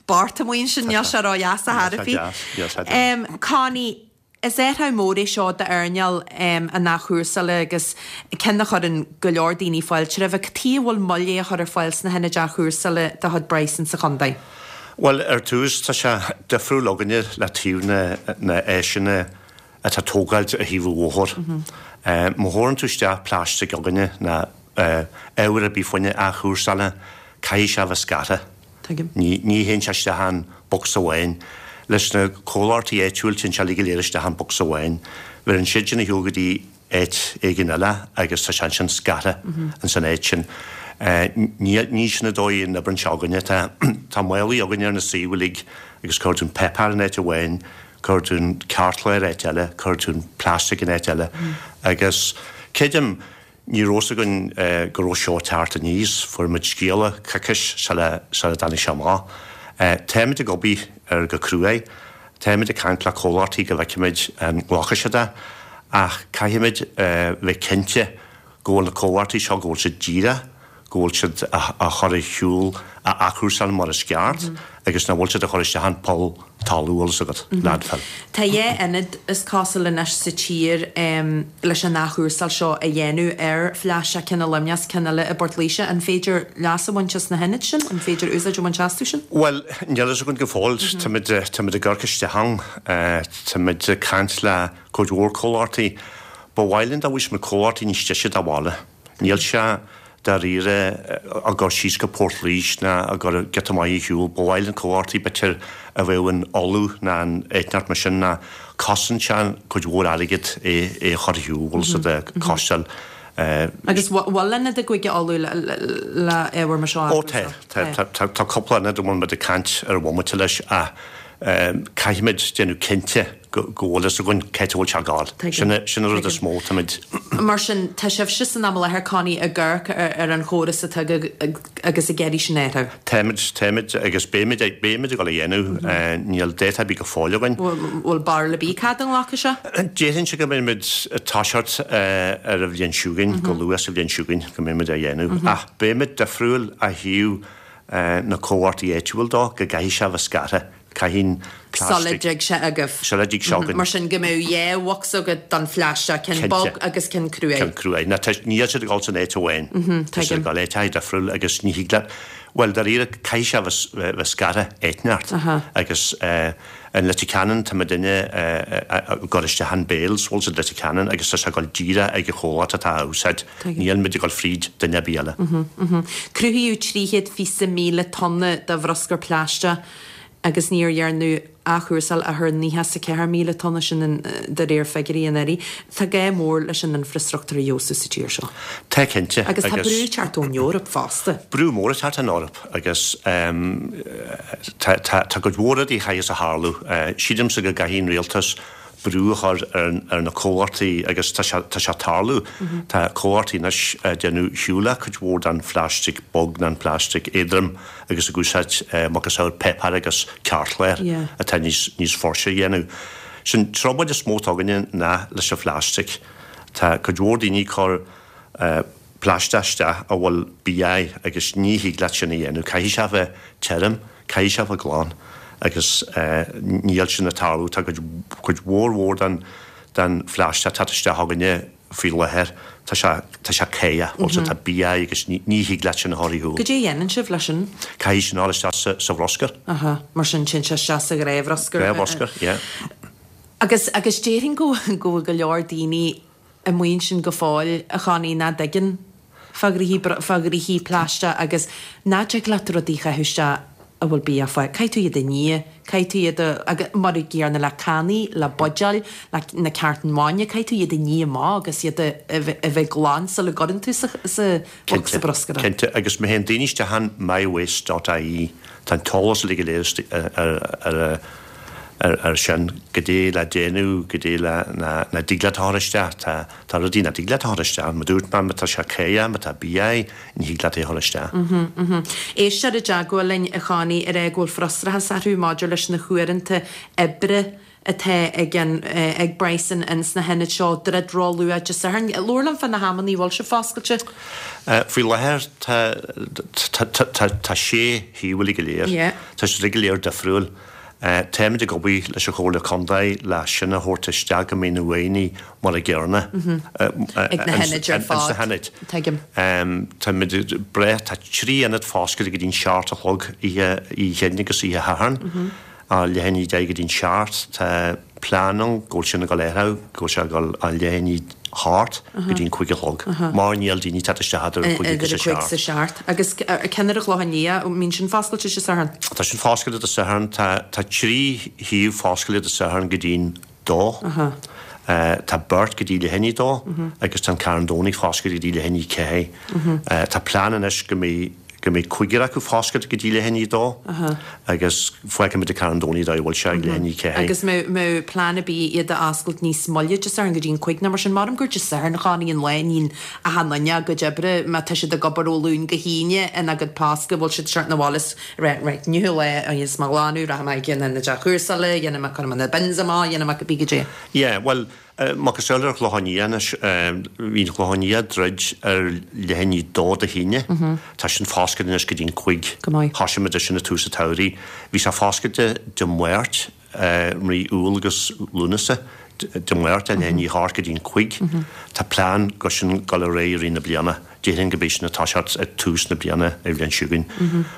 bocht amuigh ansin, níl sé ródheas ar chor ar bith. Connie, Is athrú mór é seo d'earnáil an athchúrsála agus ceann a chuireann go leor daoine fáilte roimhe. Cad chuige a bhfuil moill é a chur ar fáil sna hionaid athchúrsála de chuid Bryson sa chontae? Bhuel, ar tús, tá sé difriúil againne le taobh na na áiseanna atá tógáilte ar thaobh an bhóthair. Má thabharann tú isteach plastic againne ná ábhar ar bith fá choinne athchúrsála, caithfidh sé a bheith scartha. Tuigim. Ní ní théann sé isteach in bocsa amháin. Leis na comhlachtaí áitiúil téann sé uilig go léir isteach in bocsa amháin. Bheireann siad sin ar shiúl go dtí áit éigin eile agus tá sé ansin scartha ins an áit sin. Ní sin an dóigh a n-oibreann sé againne. Tá tá málaí againne ar na suímh uilig agus cuireann tú an páipéar in áit amháin, cuireann tú an cartchlár in áit eile, cuireann tú an plastic in áit eile. Agus creidim, ní raibh fhios againn go raibh seo ag teacht aníos, fuair muid scéala coicís sula sula dtáinig sé amach. Táimid ag obair air go cruaidh. Táimid ag caint le comhlachtaí go bhfeicfimid an nglacfaidh siad é, ach caithfimid bheith cinnte go bhfuil na comhlachtaí seo, go bhfuil siad díreach, go bhfuil siad á chur ar shiúl, á athchúrsáil mar is ceart agus nach bhfuil siad á chur isteach in poll talún, bhfuil fhios agat, landfill. Tá dhá ionad is cosúil anois sa tír leis an athchúrsáil seo a dhéanamh ar phlaisteach, ceann i Luimneach is ceann eile i bPort Laoise. An féidir leas a bhaint as na hionaid sin? An féidir úsáid a bhaint astu sin? Bhuel, níl fhios againn go fóill. Táimid, táimid ag amharc isteach ann. Táimid ag caint le cuid mhór comhlachtaí. Ba mhaith linn dá bhfaighfeadh muid comhlachtaí níos deise dá bhaile. Níl sé dáiríre ag dul síos go Port Laoise ná ag dul giota maith ar shiúl. Ba mhaith linn comhlachtaí b'fhéidir a bheadh in Uladh ná in áit inteacht mar sin ná cosnaíonn sé cuid mhór airgid é é a chur ar shiúl, bhfuil fhios agat, costáil. Agus bhfuil ionad i gCúige Uladh le ábhar mar seo a Ó tá, tá, tá, tá cúpla ionad a bhfuil muid ag caint ar an bhomaite leis ach caithfimid déanamh cinnte go bhfuil fhios againn cá háit a bhfuil sé ag gabháil. Sin sin an rud is mó táimid. Mar sin, tá sibhse san am i láthair, Connie, ag amharc ar an chóras atá agaibh agus ag iarraidh sin a athrú. Táimid, táimid agus beimid, beimid ag dul a dhéanamh. Níl dáta ar bith go fóill againn. Bhfuil barúil ar bith cá fhad a nglacfaidh sé? Déarfainnse go mbeimid ag toiseacht ar an bhliain seo chugainn, go luath sa bhliain seo chugainn go mbeimid á dhéanamh. Ach beimid difriúil ó thaobh na comhlachtaí áitiúil dó, go gcaithfidh sé a bheith scartha. Caithfidh an Sula dtig sé agaibh. Sula dtig sé againn. Mar sin go mbeadh dhá bhocsa agat don phlaisteach, ceann bog agus ceann cruaidh. Ceann cruaidh. Ná tá, níl siad ag dul san áit amháin. Tá siad ag dul áiteacha difriúil agus ní thig leat, bhuel dáiríre caithfidh sé a bheith scartha áit inteacht agus in Leitir Ceanainn tá muidinne ag cur isteach in bales, bhfuil fhios agat Leitir Ceanainn agus tá sé ag dul díreach ag an chomhlacht atá á úsáid. Níl muid ag dul fríd duine ar bith eile. Cruthaíodh trí chéad fiche míle tonna de bhruscar plaisteach agus níor dhearnadh athchúrsáil ach ar naocha is a ceathair míle tonna, sin de réir figiúirí anuraidh. Tá gá mór leis an infreastruchtúr a fheabhsú sa tír seo. Tá cinnte. Agus tá brú ag teacht ón Eoraip fosta. Brú mór ag teacht ón Eoraip agus tá tá cuid mhór rudaí a chaithfeas a tharlú. Sílimse go gcaithfidh an rialtas brú a chur ar na comhlachtaí agus tá sé tá sé ag tarlú. Tá comhlachtaí anois ag déanamh shiúl le cuid mhór den phlaisteach bog nó an phlaisteach éadrom agus ag úsáid macasamhail páipéar agus cairtchlár atá níos níos fuirse a dhéanamh. Sin trioblóid is mó atá againne ná leis an phlaisteach. Tá cuid mhór daoine ag cur plaisteach isteach a bhfuil bia air agus ní thig leat sin a dhéanamh. Caithfidh sé a bheith tirim, caithfidh sé a bheith glan agus níl sin ag tarlú. Tá cuid, cuid mhór mhór den, den phlaisteach atá isteach againne faoi láthair, tá sé, tá sé caoch, bhfuil sé, tá bia air agus ní, ní thig leat sin a chur ar shiúl. Goidé a dhéanann sibh leis sin? Caithfidh sin a dhul isteach sa, sa bhruscar. Aha, mar sin téann sé isteach sa ghnáthbhruscar. Gnáthbhruscar, yeah. Agus, agus déarfainn go, go bhfuil go leor daoine amuigh ansin go fóill, a Chonnie, nach dtuigeann fá ghnoithí, fá ghnoithí plaisteach agus nach dtig leat rudaí a chaitheamh isteach a bhfuil bia fá. Caithfidh tú iad a ní, caithfidh tú iad a, agus mar an gcéanna le cannaí, le buidéil, le na cartáin bhainne, caithfidh tú iad a ní amach agus iad a, a bheith, a bheith glan sula gcuireann tú sa, sa bhocsa Cinnte, bruscair. cinnte. Agus má théann daoine isteach an mywaste dot ie, tá an t-eolas uilig go léir istigh ar, ar, ar, ar, ar sin, goidé le déanamh, goidé le, na, nach dtig leat a chur isteach, tá, tá rudaí nach dtig leat a chur isteach, mar dúirt mé, má tá sé caoch, má tá bia air, ní thig leat é a chur isteach. Éisteoir i dteagmháil linn, a Chonnie, ag rá go bhfuil frustrachas orthu maidir leis na huaireanta oibre atá ag an, ag Bryson ins na hionaid seo, druid ró-luath Dé Sathairn. Labhair liom fá na hamannaí a bhfuil sibh foscailte. Faoi láthair tá, tá, tá, tá, tá sé shuíomh uilig go léir. Yeah. Tá siad uilig go léir difriúil. Táimid ag obair leis an Chomhairle Contae le sin a thabhairt isteach go mbeidh na uaigheanna mar a gcéanna Ag na hionaid ar ins na fad. hionaid. Tuigim. Táimid breá, tá trí ionad foscailte go dtí'n seacht a chlog oíche oíche Aoine agus oíche Shathairn, leath i ndiaidh a deich go dtí'n seacht. Tá plean ann go bhfuil sin ag dul a athrú, go bhfuil sé ag dul ó leath i ndiaidh a hocht go dtí'n cúig a chlog, mar níl daoine ag teacht isteach idir a cúig agus Idir a a cúig is a seacht. seacht. Agus ceann ar an Chlochán Liath, an mbíonn sin foscailte Dé Sathairn? Tá sin foscailte Dé Sathairn. Tá tá trí shuíomh foscailte Dé Sathairn go dtí'n dó. Tá beirt go dtí leath i ndiaidh a dó agus tá an Carn Domhnach foscailte go dtí leath i ndiaidh a ceathair. Tá plean anois go mbeidh go mbeidh cúigear acu foscailte go dtí leath i ndiaidh a dó agus feicfimid an Carn Domhnach dá bhfuil sé ag leath i ndiaidh a ceathair. Agus mbeadh plean ar bith iad a oscailt níos moille Dé Sathairn go dtí an cúig nó mar sin. Maram gur Dé Sathairn a Chonnie an lá a níonn achan duine a gcuid oibre má tá siad ag obair ó Luan go hAoine ina gcuid post go bhfuil siad ag teacht 'na bhaile is right right inniu an lá a dhéanfas mé glanadh rachaidh mé ag an ionad athchúrsála dhéanfaidh mé cuirfidh mé na bins amach dhéanfaidh mé cibé goidé. Yeah, bhuel, macasamhail ar Chlochán Liath anois, bhí an Clochán Liath druid ar leath i ndiaidh a dó Dé hAoine. Tá sin foscailte anois go dtí an cúig. Go maith. Thosaigh muid é sin ag tús an tsamhraidh. Bhí sé foscailte Dé Máirt, mí Iúil agus Lúnasa, Dé Máirt ar leath i ndiaidh a hocht go dtí an cúig. Tá plean go sin dul ar aghaidh i rith na bliana. Déarfainn go mbeidh sin ag toiseacht ag tús na bliana ar bhliain seo chugainn.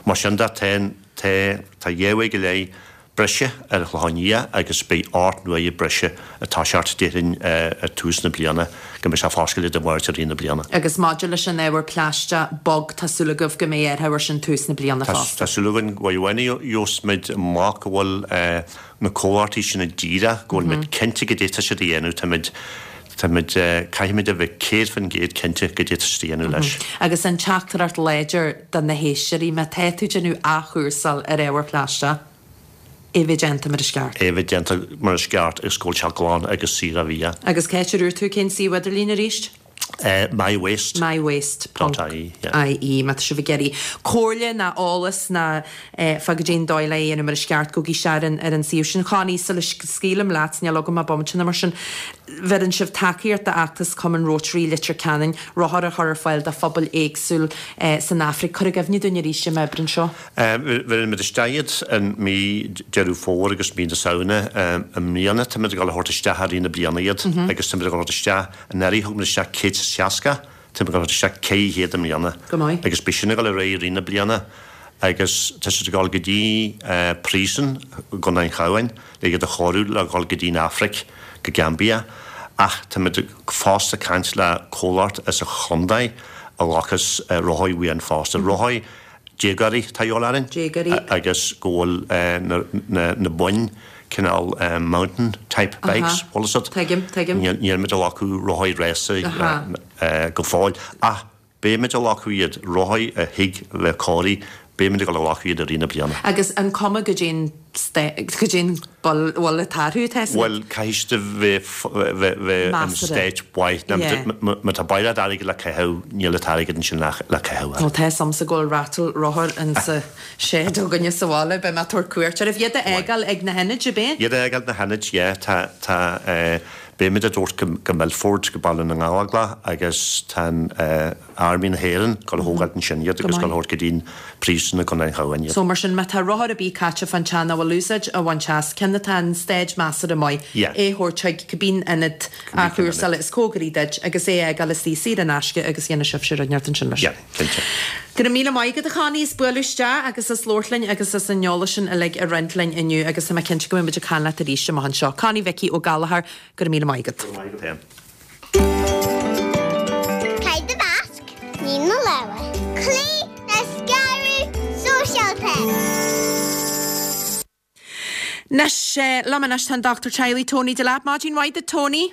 Mar sin de, tá, tá, tá dhá uair go leith breise ar an Chlochán Liath agus beidh ocht n-uaire breise ag toiseacht déarfainn ag tús na bliana go mbeidh sé foscailte Dé Máirt i rith na bliana. Agus maidir leis an ábhar plaisteach bog, tá súil agaibh go mbeidh athrú air sin tús na bliana fosta? Tá súil againn go bhfuil muid amach go bhfuil na comhlachtaí sin díreach, go bhfuil muid cinnte goidé tá siad a dhéanamh, táimid táimid caithfimid a bheith céad faoin gcéad cinnte goidé tá siad a dhéanamh leis. Agus an teachtaireacht láidir do na héisteoirí, má tá tú ag déanamh athchúrsáil ar ábhar plaisteach, é bheith déanta mar is ceart. É bheith déanta mar is ceart agus go bhfuil sé glan agus saor ó bhia. Agus cá háit a dúirt tú cén suíomh idirlín arís? My Waste. My Waste. Dot ie, yeah. ie, má tá sibh ag iarraidh comhairle ná eolas ná fá goidé an dóigh le é a dhéanamh mar is ceart, gabhaigí isteach ar an ar an suíomh sin. Connie, sula scaoilim leat, níl agam ach bomaite nó mar sin, bheireann sibh tacaíocht d'fheachtas Cumann Rotary Leitir Ceanainn, rothair a chur ar fáil do phobail éagsúil san Afraic. Cuir i gcuimhne dúinn arís an obair seo. Bheireann muid isteach iad in mí Deireadh Fómhair agus mí na Samhna i mbliana. Táimid ag dul a thabhairt isteach i rith na bliana iad agus táimid ag dul a thabhairt isteach, anuraidh thug muid isteach céad is seasca, táimid ag dul a thabhairt isteach ceithre chéad i mbliana. Go maith. Agus beidh sin ag dul ar aghaidh i rith na bliana agus tá siad ag dul go dtí príosún i gContae an Chabháin le iad a chóiriú le dhul go dtí an Afraic, go Gambia. Ach táimid fosta ag caint le comhlacht as an chontae a ghlacfas rothaí uainn fosta. Rothaí déagóirí atá de dhíobháil orainn. Déagóirí. Agus go bhfuil na na boinn cineál mountain type bikes, bhfuil fhios agat? Tuigim, tuigim. Níl muid ag glacadh rothaí rása go fóill. Ach beidh muid ag glacadh iad, rothaí a thig bheith cóirithe, beidh muid ag dul a ghlacadh iad i rith na bliana. Agus an cuma goidé an goidé an bhfuil ag tarlú, tá fhios agat? Bhuel, caithfidh siad a bheith bheith in state mhaith. Má tá baile airgid le caitheamh, níl an t-airgead ansin le caitheamh. Bhuel, tá fhios a'msa go bhfuil rattle rothar insa shed againne sa bhaile, beidh mé ag tabhairt cuairt oraibh. Iad a fhágáil ag na hionaid, ab é? Iad a fhágáil na hionaid, yeah. Tá, tá, beidh muid á dtabhairt go Milford, go Baile na nGallóglach agus tá an Army na hÉireann ag dul a thógáilt ansin iad agus ag dul a thabhairt go dtí an príosún i gContae an Chabháin iad. So mar sin, má tá rothar ar bith caite fán teach nach bhfuil úsáid á bhaint as, ceann atá in staid measartha maith, Yeah. é a thabhairt chuig cibé ionad athchúrsála is cóngaraí duit agus é a fhágáil istigh saor in aisce agus dhéanfaidh sibhse rud inteacht ansin leis. Yeah, cinnte. Go raibh míle maith agat a Chonnie as bualadh isteach agus as labhairt linn agus as an eolas sin uilig a roinnt linn inniu agus tá mé cinnte go mbeidh muid ag caint leat arís amach anseo. Connie Mhicí Ó Gallchóir, go raibh míle maith agat. Go raibh maith agat féin. Caith do mhasc, nigh do lámha. Cloígh le scaradh sóisialta. Anois, liom anois tá an Dochtúir Teaghlaigh Tony Delap. Maidin mhaith duit Tony.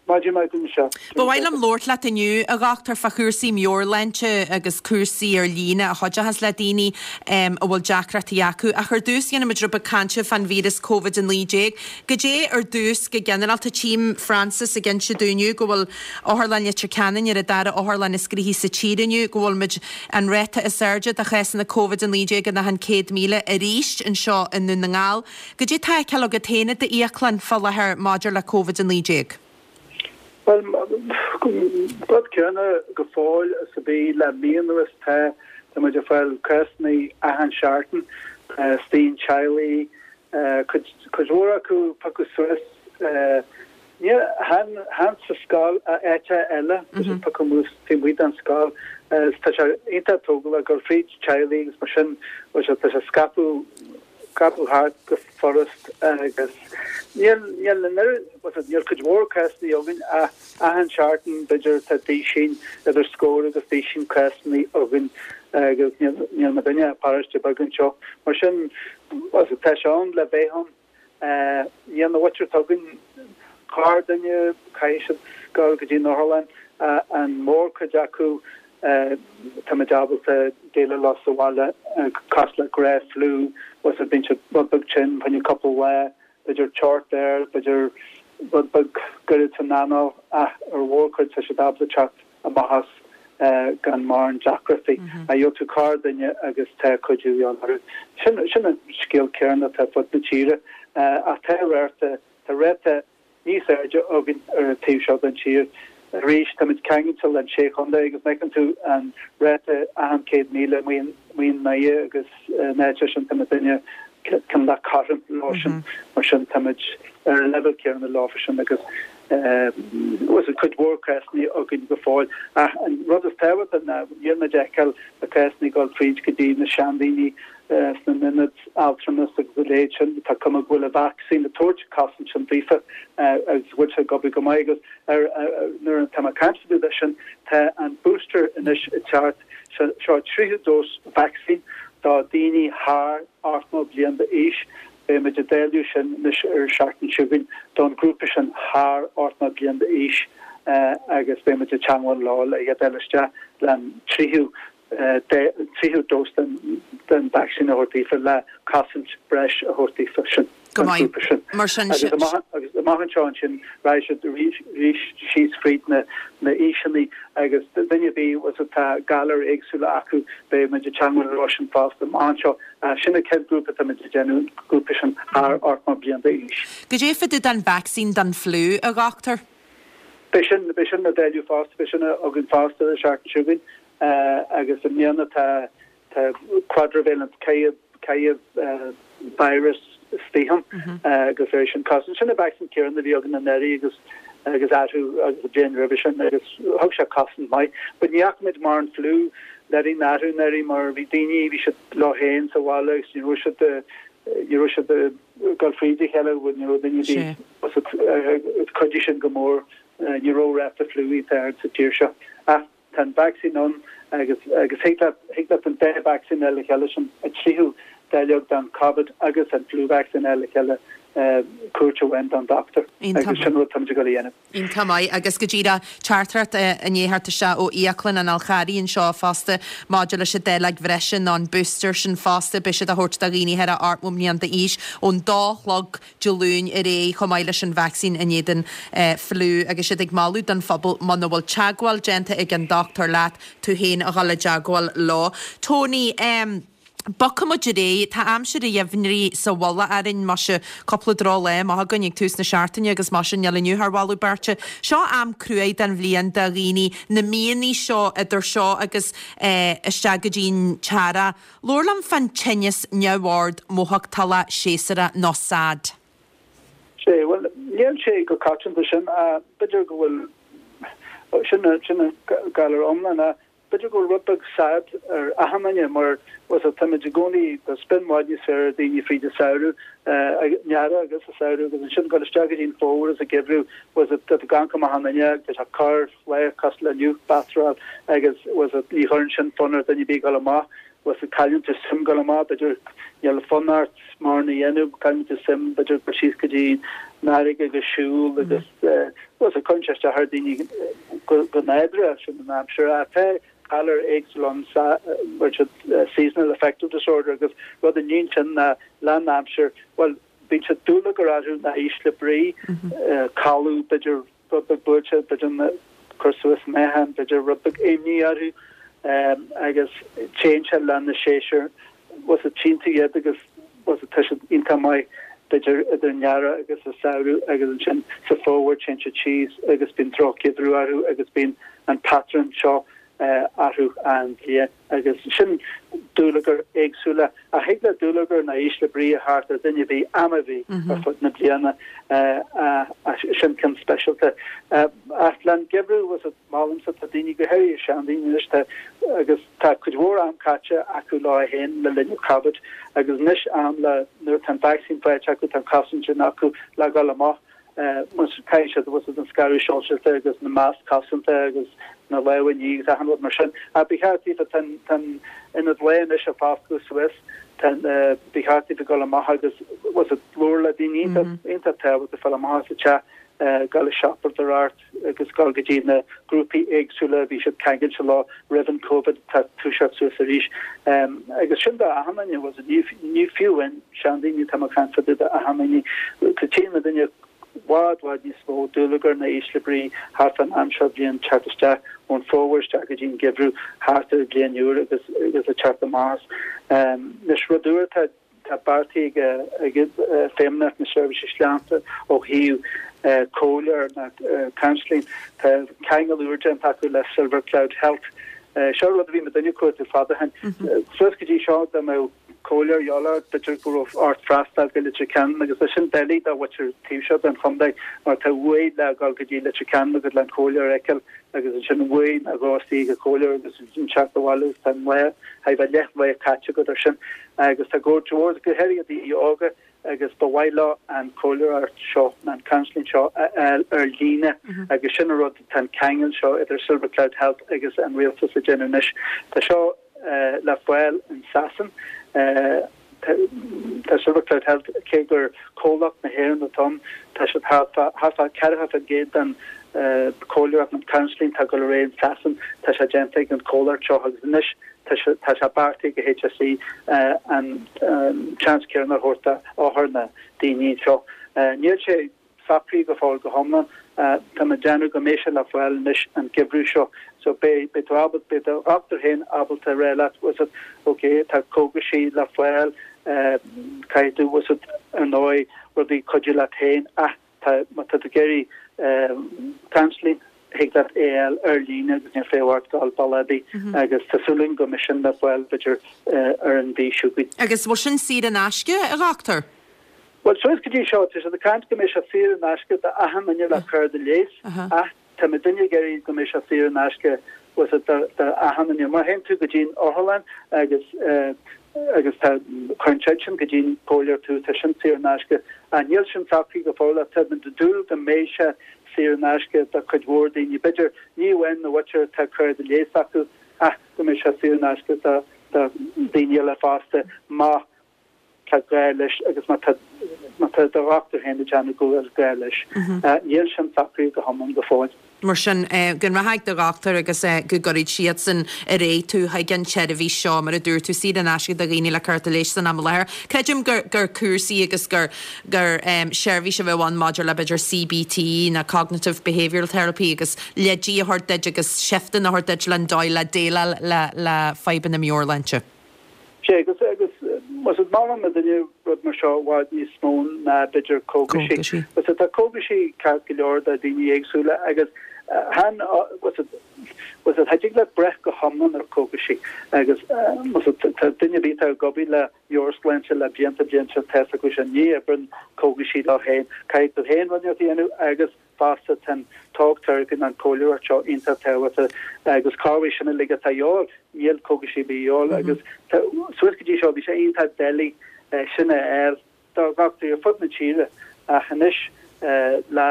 Maidin mhaith duit Michelle. Ba mhaith liom labhairt leat inniu, a dhochtúir, fá chúrsaí meabhairshláinte agus cúrsaí ar líne a chuideochas le daoine a bhfuil deacrachtaí acu. Ach ar dtús dhéanfaimid rud beag cainte fán víreas Covid a naoi déag. Goidé ar dtús go ginearálta tchím Francis ag inse dúinn inniu go bhfuil Otharlann Leitir Ceanainn ar an dara otharlann is gnoithí sa tír inniu, go bhfuil muid an ráta is airde de chásanna Covid a naoi déag in achan céad míle arís anseo i nDún na nGall. Goidé tá á fheiceáil agat féin i d'íoclann fá láthair maidir le Covid a naoi déag? Bhuel, rud céanna go fóill is a bhí le mí anuas. Tá tá muid ag fáil cásanna achan seachtain, sna teaghlaigh, cuid cuid mhór acu piocadh suas, ní chan chan sa scoil ach áiteacha eile, tá siad piocadh anuas taobh amuigh den scoil. Tá sé iontach tógálach gur fríd teaghlaigh agus mar sin, bhuel tá sé scaipeadh scaipeadh thart go furast agus níl níl an oiread, bhuel níl cuid mhór cásanna againn ach achan seachtain b'fhéidir tá duisín, idir scór agus duisín cásanna againn agus níl níl muidinne ach paróiste beag anseo. Mar sin, bhuel tá sé ann le bheith ann. Níl na mhuintir atá againn Corrdhuine caithfidh siad dul go dtí an otharlann, an mhórchuid acu táimid ábalta déileáil leo sa bhaile cosúil le gnáth-fhliú, bhfuil bíonn siad rud beag tinn fá choinne cúpla lá, b'fhéidir teocht ard, b'fhéidir rud beag goirid san anáil ach ar mhórchuid tá siad ábalta teacht amach as gan mórán deacrachtaí. Ach gheobhaidh tú corrdhuine agus tá cuidiú de dhíth orthu. Sin sin an scéal céanna atá fud na tíre ach tá ráta tá ráta níos airde againn ar an taobh seo den tír. Arís táimid ceangailte le sé chontae agus má fheiceann tú an ráta achan céad míle amuigh i nDoire agus in áit sin táimidne cineál cothrom leo sin mar sin táimid ar an leibhéal céanna leo sin agus bhfuil cuid mhór cásanna againn go fóill. Ach an rud is tábhachtaí ná níl muid ag feiceáil na cásanna ag dul fríd go dtí na seandaoine sna n-ionaid altramas agus a leithéid sin. Tá cuma go bhfuil an vacsaín ag tabhairt cosaint sin daofa agus go bhfuil sé ag obair go maith agus ar nuair atá mé ag caint fá dtaobh de sin tá an booster anois ag teacht seo tríú dós vacsaín do daoine thar ochtó bliain d'aois. Beidh muid ag dáileadh sin anois ar an seachtain seo chugainn don ghrúpa sin thar ochtó bliain d'aois agus beidh muid ag teagmháil leo le iad a fháil isteach le an tríú tríú dós den den vacsaín a thabhairt daofa le cosaint breis a thabhairt daofa sin. Go maith. Mar sin Agus amach agus amach anseo ansin raghaidh siad arís arís síos fríd na na aoiseanna agus duine ar bith was atá galair éagsúla acu beidh muid ag teagmháil leo sin fosta amach anseo. Sin an chéad grúpa atá muid ag déanamh, an grúpa sin thar ochtó bliain d'aois. Goidé fá dtaobh den vacsaín don fliú, a dhochtúir? Beidh sin beidh sin á dáileadh fosta, beidh sin againn fosta an seachtain seo chugainn agus i mbliana tá tá quadrivalent ceithre ceithre virus istigh ann agus é sin cosaint. Sin an vacsaín céanna a bhí againn anuraidh agus agus athrú agus an bhliain roimhe sin agus thug sé cosaint maith. But ní fhaca muid mórán fliú le linn an athrú anuraidh mar bhí daoine bhí siad leo féin sa bhaile agus ní raibh siad ní raibh siad ag dul fríd a chéile ní raibh daoine bhí chuidigh sin go mór ní raibh ráta fliú iontach ard sa tír seo. Ach tá an vacsaín ann agus agus thig leat thig leat an dá vacsaín a fháil le chéile sin an tríú dáileog don Covid agus an flu vaccine a fháil le chéile cuairt amháin don dochtúir agus sin rud táimid ag dul a dhéanamh. Iontach maith agus go díreach teachtaireacht i ndiaidh theacht isteach ó Íoclann an Fháil Charraigh anseo fosta maidir leis an dáileog bhreise nó an booster sin fosta beidh siad á thabhairt do dhaoine thar ochtó mbliana d'aois ón dó a chlog Dé Luain ar aghaidh chomh maith leis an vacsaín in éadan fliú agus siad ag moladh don phobal muna bhfuil teagmháil déanta ag an dochtúir leat tú féin a dhul i dteagmháil leo. Tony, um, Bogfaidh muid ar aghaidh, tá aimsir an gheimhridh sa mhullach orainn, muise, cúpla drochlá amach againn ag tús na seachtaine agus mar sin níl inniu thar mholadh beirte. Seo am cruaidh den bhliain do dhaoine, na míonna seo idir seo agus eh, isteach go dtí'n t-earrach. Labhair liom fán tinneas neamhord mothachtála séasúrach nó SAD. Sé, bhuel, níl sé go coitianta sin, b'fhéidir go bhfuil sin sin galar iomlán b'fhéidir go bhfuil rud beag SAD ar achan duine mar was táimid i gcónaí tá spion i bhfad níos fearr ar daoine fríd an samhradh an earrach agus an samhradh agus ansin dul isteach go dtí an fómhar is an geimhreadh was tá tú ag amharc amach an fhuinneog tá sé corrlá cosúil le inniu batráil agus was ní chuireann sin fonn ar duine ar bith dul amach was cailleann tú suim dul amach b'fhéidir níl fonn ort mórán a dhéanamh cailleann tú suim b'fhéidir go síos go dtí an fharraige agus siúl agus was cuireann sé isteach ar daoine go go nádúrtha sin an aimsir tá galar éagsúil ann seasonal affective disorder agus rud a níonn sin na leis an aimsir well bíonn sé dúlagar orthu na ísle brí codladh b'fhéidir rud beag buailte b'fhéidir cur suas meáchan b'fhéidir rud beag imní orthu agus téann sé leis na séasúir was tchíonn tú iad agus was tá siad iontach maith b'fhéidir idir an earrach agus an samhradh agus ansin sa fómhar téann siad síos agus bíonn drochgheimhreadh orthu agus bíonn an patrún seo orthu an bhliain agus sin dúlagar éagsúla a thig le dúlagar na ísle brí a theacht ar duine ar bith am ar bith ar fud na bliana sin ceann speisialta. Ach leis an geimhreadh was molaimse tá daoine go háirithe seandaoine anois tá agus tá cuid mhór am caite acu leo féin le linn Covid agus anois am le nuair atá an vaccine faighte acu tá an cosaint sin acu le dhul amach mus caithfidh siad was an scaradh sóisialta agus na masc cosanta agus na lámha a ní agus achan rud mar sin. A ba cheart daofa tá an ionad lae anois ag foscladh suas tá ba cheart daofa dul amach agus was labhairt le daoine iontach tábhachtach fáil amach as an teach Gabháil ag siopadóireacht agus gabháil go dtí na grúpaí éagsúla a bhí siad ceangailte leo roimh an Covid tá toiseacht suas arís. Agus sin do achan duine, bhfuil a fhios agat, ní fiú amháin seandaoine, tá mé ag caint fá dtaobh d'achan duine. Tchíonn muid i bhfad bhfad níos mó dúlagar ná ísle brí thart fán am seo bliain teacht isteach ón fómhar isteach go dtí an geimhreadh thart ar an bhliain úr agus agus ag teacht amach as. Anois rud úr atá tá beartaithe ag Feidhmeannacht na Seirbhíse Sláinte ó thaobh comhairle nó counselling. Tá ceangal úr déanta acu le Silver Cloud Health. Seo rud a bhí muid ag cuartú fada ó shin. Suas go dtí seo dá mbeadh comhairle de dhíobháil ort b'fhéidir go raibh ort freastal go Leitir Ceanainn agus tá sin doiligh do mhuintir taobh seo den chontae mar tá uair le dhul go dtí Leitir Ceanainn agus le an comhairleoir a fheiceáil agus ansin uair nó dhó istigh ag an chomhairleoir agus ansin teacht abhaile agus tá an lá thar bheith leath lae caite agat ar sin agus tá go leor go háirithe daoine óga agus ba mhaith leo an chomhairleoireacht seo nó an counselling seo a fháil ar líne agus sin an rud tá an ceangal seo idir Silver Cloud Health agus an rialtas ag déanamh anois. Tá seo le fáil in Sasain. Tá Silver Cloud Health, cé gur comhlacht na hÉireann atá ann, tá siad thart fá thart fá ceathracha faoin gcéad den chomhairleoireacht nó counselling atá ag dul ar aghaidh in Sasain, tá sé déanta ag an chomhlacht seo agus anois tá sé tá sé beartaithe ag HSE an seans céanna a thabhairt d'othair na daoine seo. Níl sé socraithe go fóill go hiomlán. Tá mé ag déanamh go mbeidh sé le fáil anois an geimhreadh seo. So beidh beidh tú ábalta, beidh do dhochtúir féin ábalta a rá leat, bhfuil a fhios agat, ok, tá cógaisí le fáil, caithfidh tú, bhfuil a fhios agat, ar ndóigh, rudaí cuidiú leat féin ach tá, má tá tú ag iarraidh counselling, thig leat é a fháil ar líne agus níl feidhm ort dul bealach ar bith agus tá súil againn go mbeidh sin le fáil b'fhéidir ar an mhí seo chugainn. Agus bhfuil sin saor in aisce, a dhochtúir? Bhuel, suas go dtí seo, tá siad ag caint go mbeidh sé saor in aisce d'achan duine le cárta leighis, ach tá muidinne ag iarraidh go mbeidh sé saor in aisce bhfuil a fhios agat d'achan duine. Má théann tú go dtí'n otharlann agus agus tá cuireann siad sin go dtí'n comhairleoir tú, tá sin saor in aisce. Ach níl sin socraithe go fóill ach tá muid ag dúil go mbeidh sé saor in aisce do chuid mhór daoine, b'fhéidir ní amháin na mhuintir atá cárta leighis acu ach go mbeidh sé saor in aisce do daoine eile fosta má tá gá leis agus má tá má tá do dhochtúir féin ag déanamh go bhfuil gá leis. Níl sin socraithe go hiomlán go fóill. Mar sin, go mbeadh ag do dhochtúir agus go gcuirfidh siadsan ar aghaidh tú chuig an tseirbhís seo, mar a dúirt tú, saor in aisce do dhaoine le cárta leighis san am i láthair. Creidim gur gur cúrsaí agus gur gur seirbhís a bheadh ann maidir le b'fhéidir CBT nó Cognitive Behavioural Therapy agus leidí a thabhairt duit agus seifteanna a thabhairt duit len dóigh le déileáil le le fadhbanna meabhairshláinte. Sea, agus, agus, bhfuil a fhios agat, molann muidinne rud mar seo i bhfad níos mó ná b'fhéidir cógaisí. Bhfuil a fhios agat, tá cógaisí ceart go leor do dhaoine éagsúla agus chan, bhfuil a fhios agat, bhfuil a fhios agat, cha dtig leat breith go hiomlán ar cógaisí agus, bhfuil a fhios agat, tá duine ar bith atá ag obair le meabhairshláinte le blianta blianta tá a fhios acu sin, ní oibreann cógaisí leo féin. Caithfidh tú féin rud a dhéanamh agus fosta tá an talk therapy nó an chomhairleoireacht seo iontach tábhachtach agus corruair sin uilig atá de dhíobháil, níl cógaisí ar bith de dhíobháil agus suas go dtí seo bhí sé iontach doiligh sin a fháil do dhochtúirí ar fud na tíre ach anois le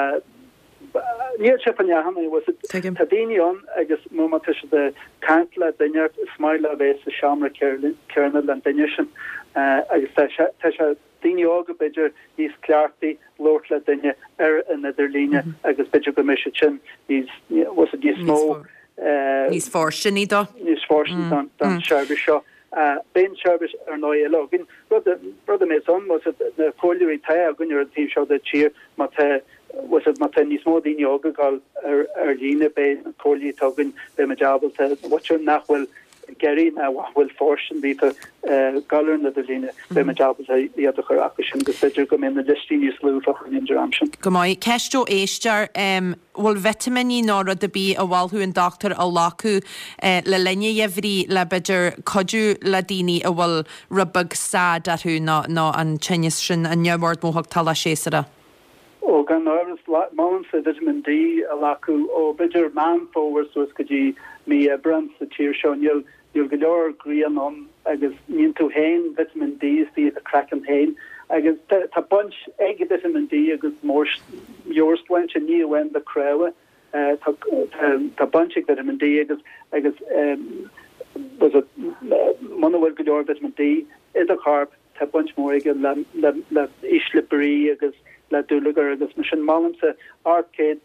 níl sé fá choinne achan duine, tá daoine ann agus má tá siad ag caint le duine is maith leo bheith sa seomra céanna le an duine sin agus tá sé Daoine óga b'fhéidir níos cleachtaí labhairt le duine ar an idirlíne agus b'fhéidir go mbeidh siad sin níos, bhfuil a fhios agat, níos mó. Níos fóirsteanaí dó. Níos fóirsteanaí don tseirbhís seo. Beidh an tseirbhís ar ndóigh eile againn. Rud rud a mbeidh ann, bhfuil a fhios agat, na comhairleoirí atá againn ar an taobh seo den tír, má tá, bhfuil a fhios agat, má tá níos mó daoine óga ag dul ar ar líne, beidh na comhairleoirí atá againn, beidh muid ábalta, mhuintir nach bhfuil ag iarraidh ná nach bhfuil fóirstean daofa dul ar an idirlíne, beidh muid ábalta iad a chur acu sin agus b'fhéidir go mbeidh na liostaí níos lú fá choinne an dream sin. Go maith. Ceist ó éisteoir, Bhfuil vitimíní nó rud ar bith a mholfadh an dochtúir a ghlacadh le linn an gheimhridh le b'fhéidir cuidiú le daoine a bhfuil rud beag sad orthu nó nó an tinneas sin, an neamhord mothachtála séasúrach? Ó, gan amhras, molaimse Vitamin D a ghlacadh ó b'fhéidir Meán Fómhair suas go dtí mí Aibreán sa tír seo. Níl níl go leor grian ann agus níonn tú féin Vitamin D istigh i do chraiceann féin. Agus tá tá baint ag Vitamin D agus meabhairshláinte, ní amháin le cnámha. Tá tá tá baint ag Vitamin D agus agus muna bhfuil go leor Vitamin D i do chorp, Tá baint mhór aige le ísle brí agus le dúlagar agus mar sin molaimse ocht gcéad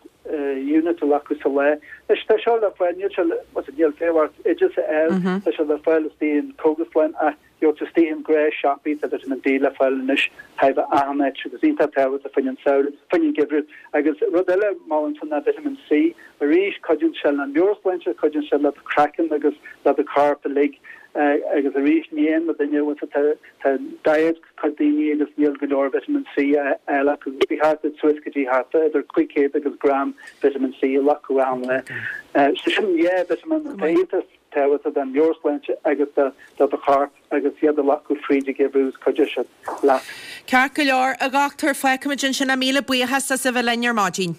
unit a ghlacadh sa lá. Anois tá seo le fáil, níl sé le, what's it, níl féith ort oideas a fháil, tá sé le fáil istigh in cógaslann ach gheobhaidh tú istigh in gnáthshiopaí, tá vitamin D le fáil anois chóir a bheith achan áit agus iontach tábhachtach fá choinne an samhradh, fá choinne an geimhreadh. Agus rud eile molaimse ná vitamin C, arís cuidíonn sé le meabhairshláinte, cuidíonn sé le do chraiceann agus le do chorp uilig. Agus arís ní aon duine bhfuil tá tá diet cuid daoine agus níl go leor vitamin C á fháil acu. Ba cheart duit suas go dtí thart idir cúig chéad agus gram vitamin C a ghlacadh achan lá. So sin dhá vitamin atá iontach tábhachtach don mheabhairshláinte agus do do do chorp agus iad a ghlacadh fríd an gheimhreadh is cuideoidh siad leat. Ceart go leor, a dhochtúir, fágfaimid ansin é. Míle buíochas as a bheith linn ar maidin.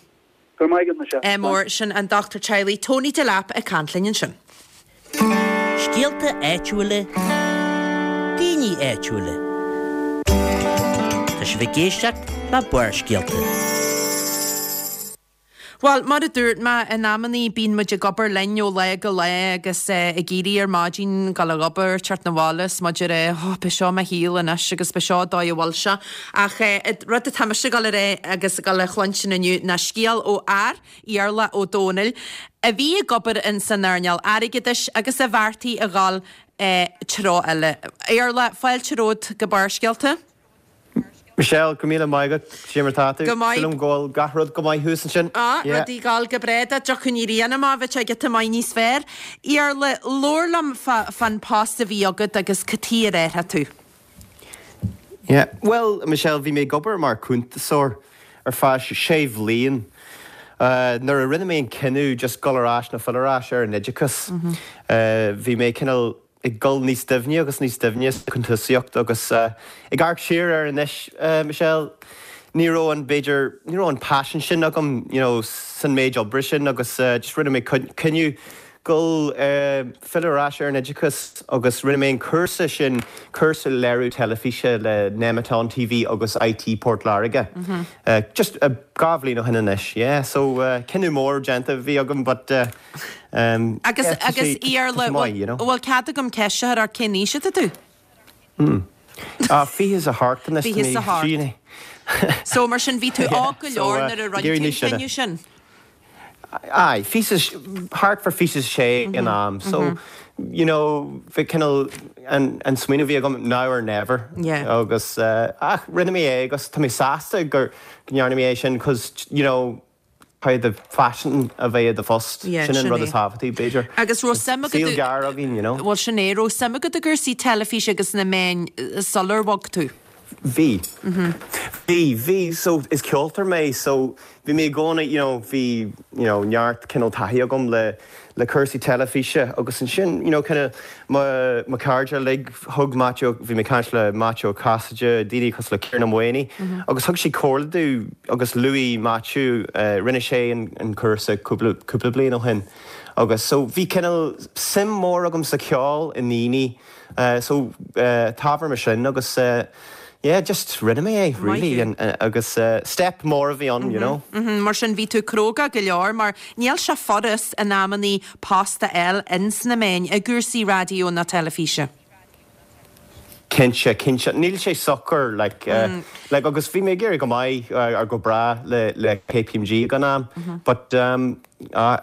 Go raibh maith agat, Michelle. Ádh mór, sin an dochtúir teaghlaigh Tony Delap ag caint linn ansin. Scéalta áitiúla, daoine áitiúla. Tá sibh ag éisteacht le Barrscéalta. Bhuel, mar a dúirt mé, in amannaí bíonn muid ag obair linn ó lá go lá agus ag éirí ar maidin, dul ag obair, teacht 'na bhaile is muid ag rá, oh, b'é seo mo shaol anois agus b'é seo an dóigh a bhfuil sé. Ach rud atá mise ag dul a rá agus ag dul a chluinstin inniu ná scéal ó fhear, Iarla Ó Dónaill, a bhí ag obair in san earnáil airgeadais agus a bheartaigh a dhul treo eile. Iarla, fáilte romhat go Barrscéalta. Michelle, go míle maith agat, cad é mar tá tú? Go maith. Súil agam go bhfuil gach rud go maith thuas ansin. Á, rudaí ag dul go breá, dá dtiocfadh an ghrian amach bheadh sé giota maith níos fearr. Iarla, labhair liom fán post a bhí agat agus cad chuige ar athraigh tú. Yeah, bhuel, Michelle, bhí mé ag obair mar cuntasóir ar feadh sé bhliain. Nuair a rinne mé an cinneadh just dul ar ais nó filleadh ar ais ar an oideachas, bhí mé cineál ag dul níos doimhne agus níos doimhne sa chuntasaíocht agus ag amharc siar air anois, Michelle, ní raibh an, b'fhéidir, ní raibh an paisean sin agam, you know, san méid oibre sin agus just rinne mé cinneadh dul filleadh ar ais ar an oideachas agus rinne mé an cúrsa sin, cúrsa léiriú teilifíse le Nemeton TV agus IT Port Láirge, just dhá bhliain ó shin anois, yeah, so cinneadh mór déanta a bhí agam but. Agus agus Iarla, bhfuil cead agam ceist a chur ort cén aois atá tú? Ah, fiche is a hocht anois. Fiche is a hocht. So mar sin bhí tú óg go leor nuair a rinne tú an cinneadh sin? Aye, fiche is, thart fá fiche is a sé ag an am. So, you know, bhí cineál an an smaoineamh a bhí agam now or never. Agus ach rinne mé é agus tá mé sásta gur go ndearna mé é sin cos, you know, Caithfidh do phaisean a bheith i do phost. Yeah, Sin an sin rud é. is tábhachtaí, b'fhéidir. Agus raibh suim agat Saol gearr againn, you know. Bhuel, sin é. Raibh suim agat i gcúrsaí teilifíse agus na meáin sular bhog tú? Bhí. Bhí, bhí. So, is ceoltóir mé, so bhí mé i gcónaí, you know, bhí, you know, neart cineál taithí agam le, le cúrsaí teilifíse agus ansin, you know, kind of mo, mo chairde uilig, thug Maitiú, bhí mé ag caint le Maitiú Ó Casaide, daoine cosúil le Ciarán Ó Maonaigh agus thug siad comhairle domh agus luaigh Maitiú, rinne sé an, an cúrsa cúpla, cúpla bliain ó shin agus so bhí cineál suim mór agam sa cheol, i ndaoine, so ábhar mar sin agus yeah, just rinne mé é, really, agus step mór a bhí ann, you know. Mar sin bhí tú cróga go leor mar níl sé furast in amannaí post a fháil ins na meáin, i gcúrsaí raidió ná teilifíse. Cinnte, cinnte. Níl sé socair, like, like agus bhí mé ag éirí go maith, or go breá le, le KPMG ag an am, but ah,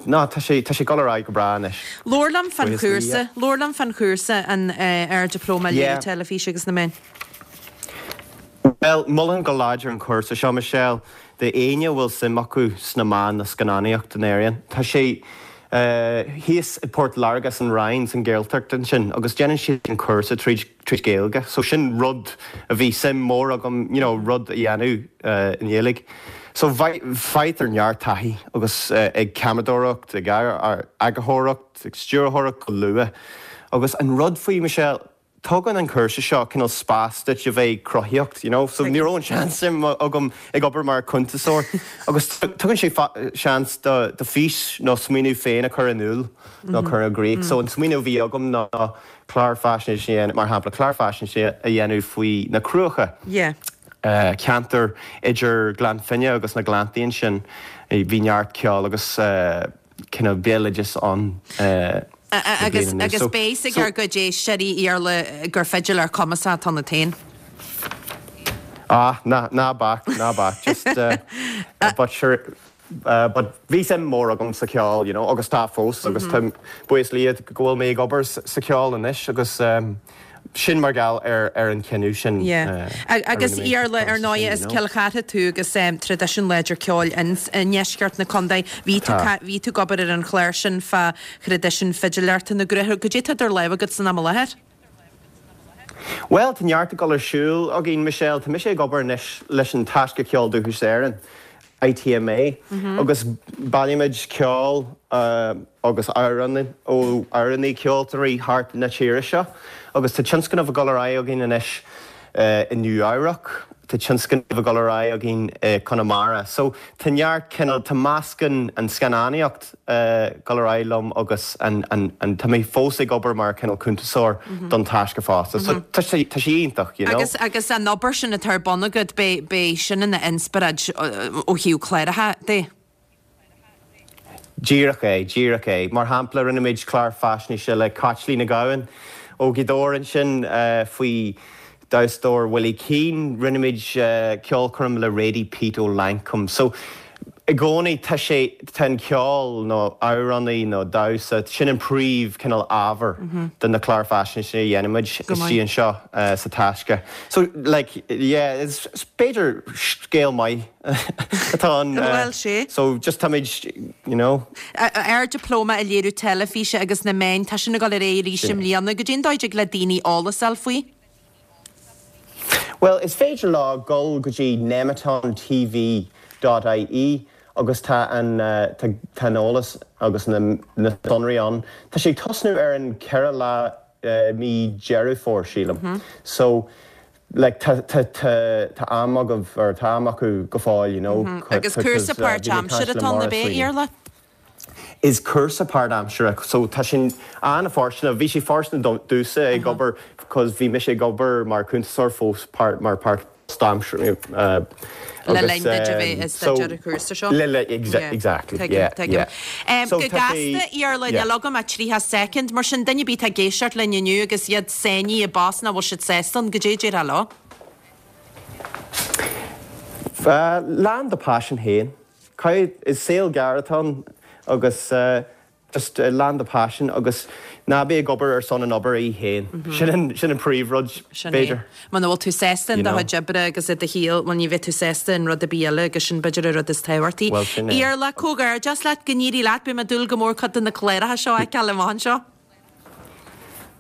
Ná, tá sé, tá sé ag dul ar aghaidh go breá anois. Labhair liom fán Buíochas le chúrsa, Dia. labhair liom fán chúrsa an Ard-Dioplóma Léiriú Yeah. Teilifíse agus na Meán. Bhuel, molaim go láidir an cúrsa seo, Michelle, d'éinne a bhfuil suim acu sna meáin nó scannánaíocht in Éirinn. Tá sé thíos i Port Láirge san Rinn, san Ghaeltacht ansin, agus déanann siad an cúrsa tríd, tríd Gaeilge. So sin rud a bhí suim mór agam, you know, rud a dhéanamh i nGaeilge. So faightear neart taithí agus ag ceamaradóireacht, ag eagarthóireacht, ag stiúrthóireacht go luath. Agus an rud faoi, Michelle, tugann an cúrsa seo cineál spás duit a bheith cruthaíocht, you know. So ní raibh an seans sin agam ag obair mar chuntasóir. Agus tugann sé seans do do fís nó smaoineamh féin a chur in iúl nó cur i gcrích. So an smaoineamh a bhí agam ná clár faisnéise a dhéanamh, mar shampla, clár faisnéise a dhéanamh faoi na Cruacha. Yeah. ceantar idir Gleann Finne agus na Gleanntaí ansin. Bhí neart ceoil agus cineál béaloideas ann le Agus bliain anuas. agus So, beidh a fhios ag so. ár gcuid éisteoirí, Iarla, gur fidiléir cumasach atá ionat féin. Ah, ná ná bac, ná bac, just uh, but sure Uh, but bhí suim mór agam sa cheol, you know, agus tá fós agus mm -hmm. buíochas le Dia go bhfuil mé ag obair sa cheol anois agus um, sin mar gheall ar ar an cinneadh sin. Yeah. Uh, agus Iarla ar ndóigh as Cill Chartha tú agus um, traidisiún láidir ceoil in ndeisceart na contae bhí tú bhí tú ag obair ar an chlár sin fá thraidisiún fidiléireachta na gCruach goidé tá idir lámha agat san am i láthair. Well, tá neart ag dul ar siúl againn Michelle, Tá mise ag obair anois leis an Taisce Ceol Dúchais Éireann. ITMA mm -hmm. agus bailímid ceol uh, agus amhráin ó amhránaí ceoltóirí thart na tíre seo, agus tá tionscnamh ag dul ar aghaidh againn anois uh, i Nua-Eabhrac, tá tionscnamh ag dul ar aghaidh againn uh, Conamara. So tá neart cineál tá meascán an scannánaíocht uh, dul ar aghaidh liom agus an, an, an tá mé fós ag obair mar cineál cuntasóir mm -hmm. don Taisce fosta. So mm -hmm. tá sé tá sé iontach, you know. Agus agus an obair sin atá ar bun agat b'é sin ina inspioráid ó thaobh cláracha de. Díreach é, díreach é. Mar shampla rinne muid clár faisnéise le Caitlín Nic Gabhann ó Ghaoth Dobhair ansin uh, faoi damhsóir Willie Keane, rinne muid uh, ceolchoirm le Radie Pete ó Lankum. So i gcónaí tá sé tá an ceol nó amhránaí nó damhsa sin an príomh cineál ábhar mm -hmm. den na clár faisnéise a dhéanaimid istigh anseo uh, sa Taisce. So like yeah, is b'fhéidir scéal maith atá an Well sé. So just táimid you know. Ár dioplóma i léiriú teilifíse agus na meáin tá sin ag dul ar aghaidh arís i mbliana goidé an dóigh le daoine eolas a fháil faoi? Well, is féidir leo dul go dtí nemeton TV dot ie agus tá an uh, tá, tá an eolas agus na, na sonraí ann. Tá sé ag tosnú ar an ceathrú lá uh, mí Deireadh Fómhair sílim. Mm -hmm. So like tá tá tá tá am agaibh or tá am acu go fóill, you know. Mm -hmm. Agus cúrsa páirtaimseartha atá ann ab ea Iarla? Is cúrsa páirtaimseartha so tá sin an-fhóirsteanach bhí sé fóirsteanach domhsa ag obair cos bhí mise ag obair mar cuntasóir fós páirt mar páirtaimseartha uh, Le linn duit a bheith ag staidéar an chúrsa seo? Le le exactly yeah yeah. Um, go gasta Iarla níl agam ach tríocha soicind mar sin duine ar bith atá ag éisteacht linn inniu agus iad sáinnithe i bpost nach bhfuil siad sásta ann goidé a déarfá leo? Uh, lean do passion féin. Caithfidh is saol gearr atá ann agus uh, just uh, lean do passion agus ná bí ag obair ar son an obair í féin. Mm -hmm. Sin an, sin an príomhrud Sin é. b'fhéidir. Muna bhfuil tú sásta in do You know. chuid oibre agus i do shaol, bhuel ní bheidh tú sásta in rud ar bith eile agus sin b'fhéidir an rud is tábhachtaí. Well, sin é. Iarla, comhghairdeas leat go n-éirí leat, beidh mé ag dúil go mór cuid de na cláracha seo a fheiceáil amach anseo.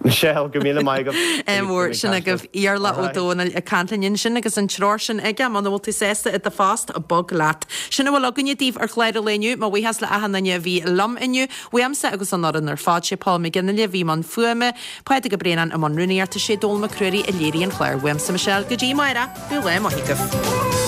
Michelle, go míle maith agaibh. Mór sin agaibh Iarla Ó Dónaill ag caint linn ansin agus an treoir sin aige muna bhfuil tú sásta i do phost bog leat. Sin a bhfuil againne daoibh ar chlár an lae inniu, mo bhuíochas le achan duine a bhí liom inniu, uaimse agus an fhoireann ar fad, sé Paul McGinley a bhí i mbun fuaime, Pádraig Ó Braonáin i mbun rúnaíochta, sé Dónall Mac Ruairí a léirigh an clár. Uaimse Michelle go dtí amárach, bíodh lá maith agaibh.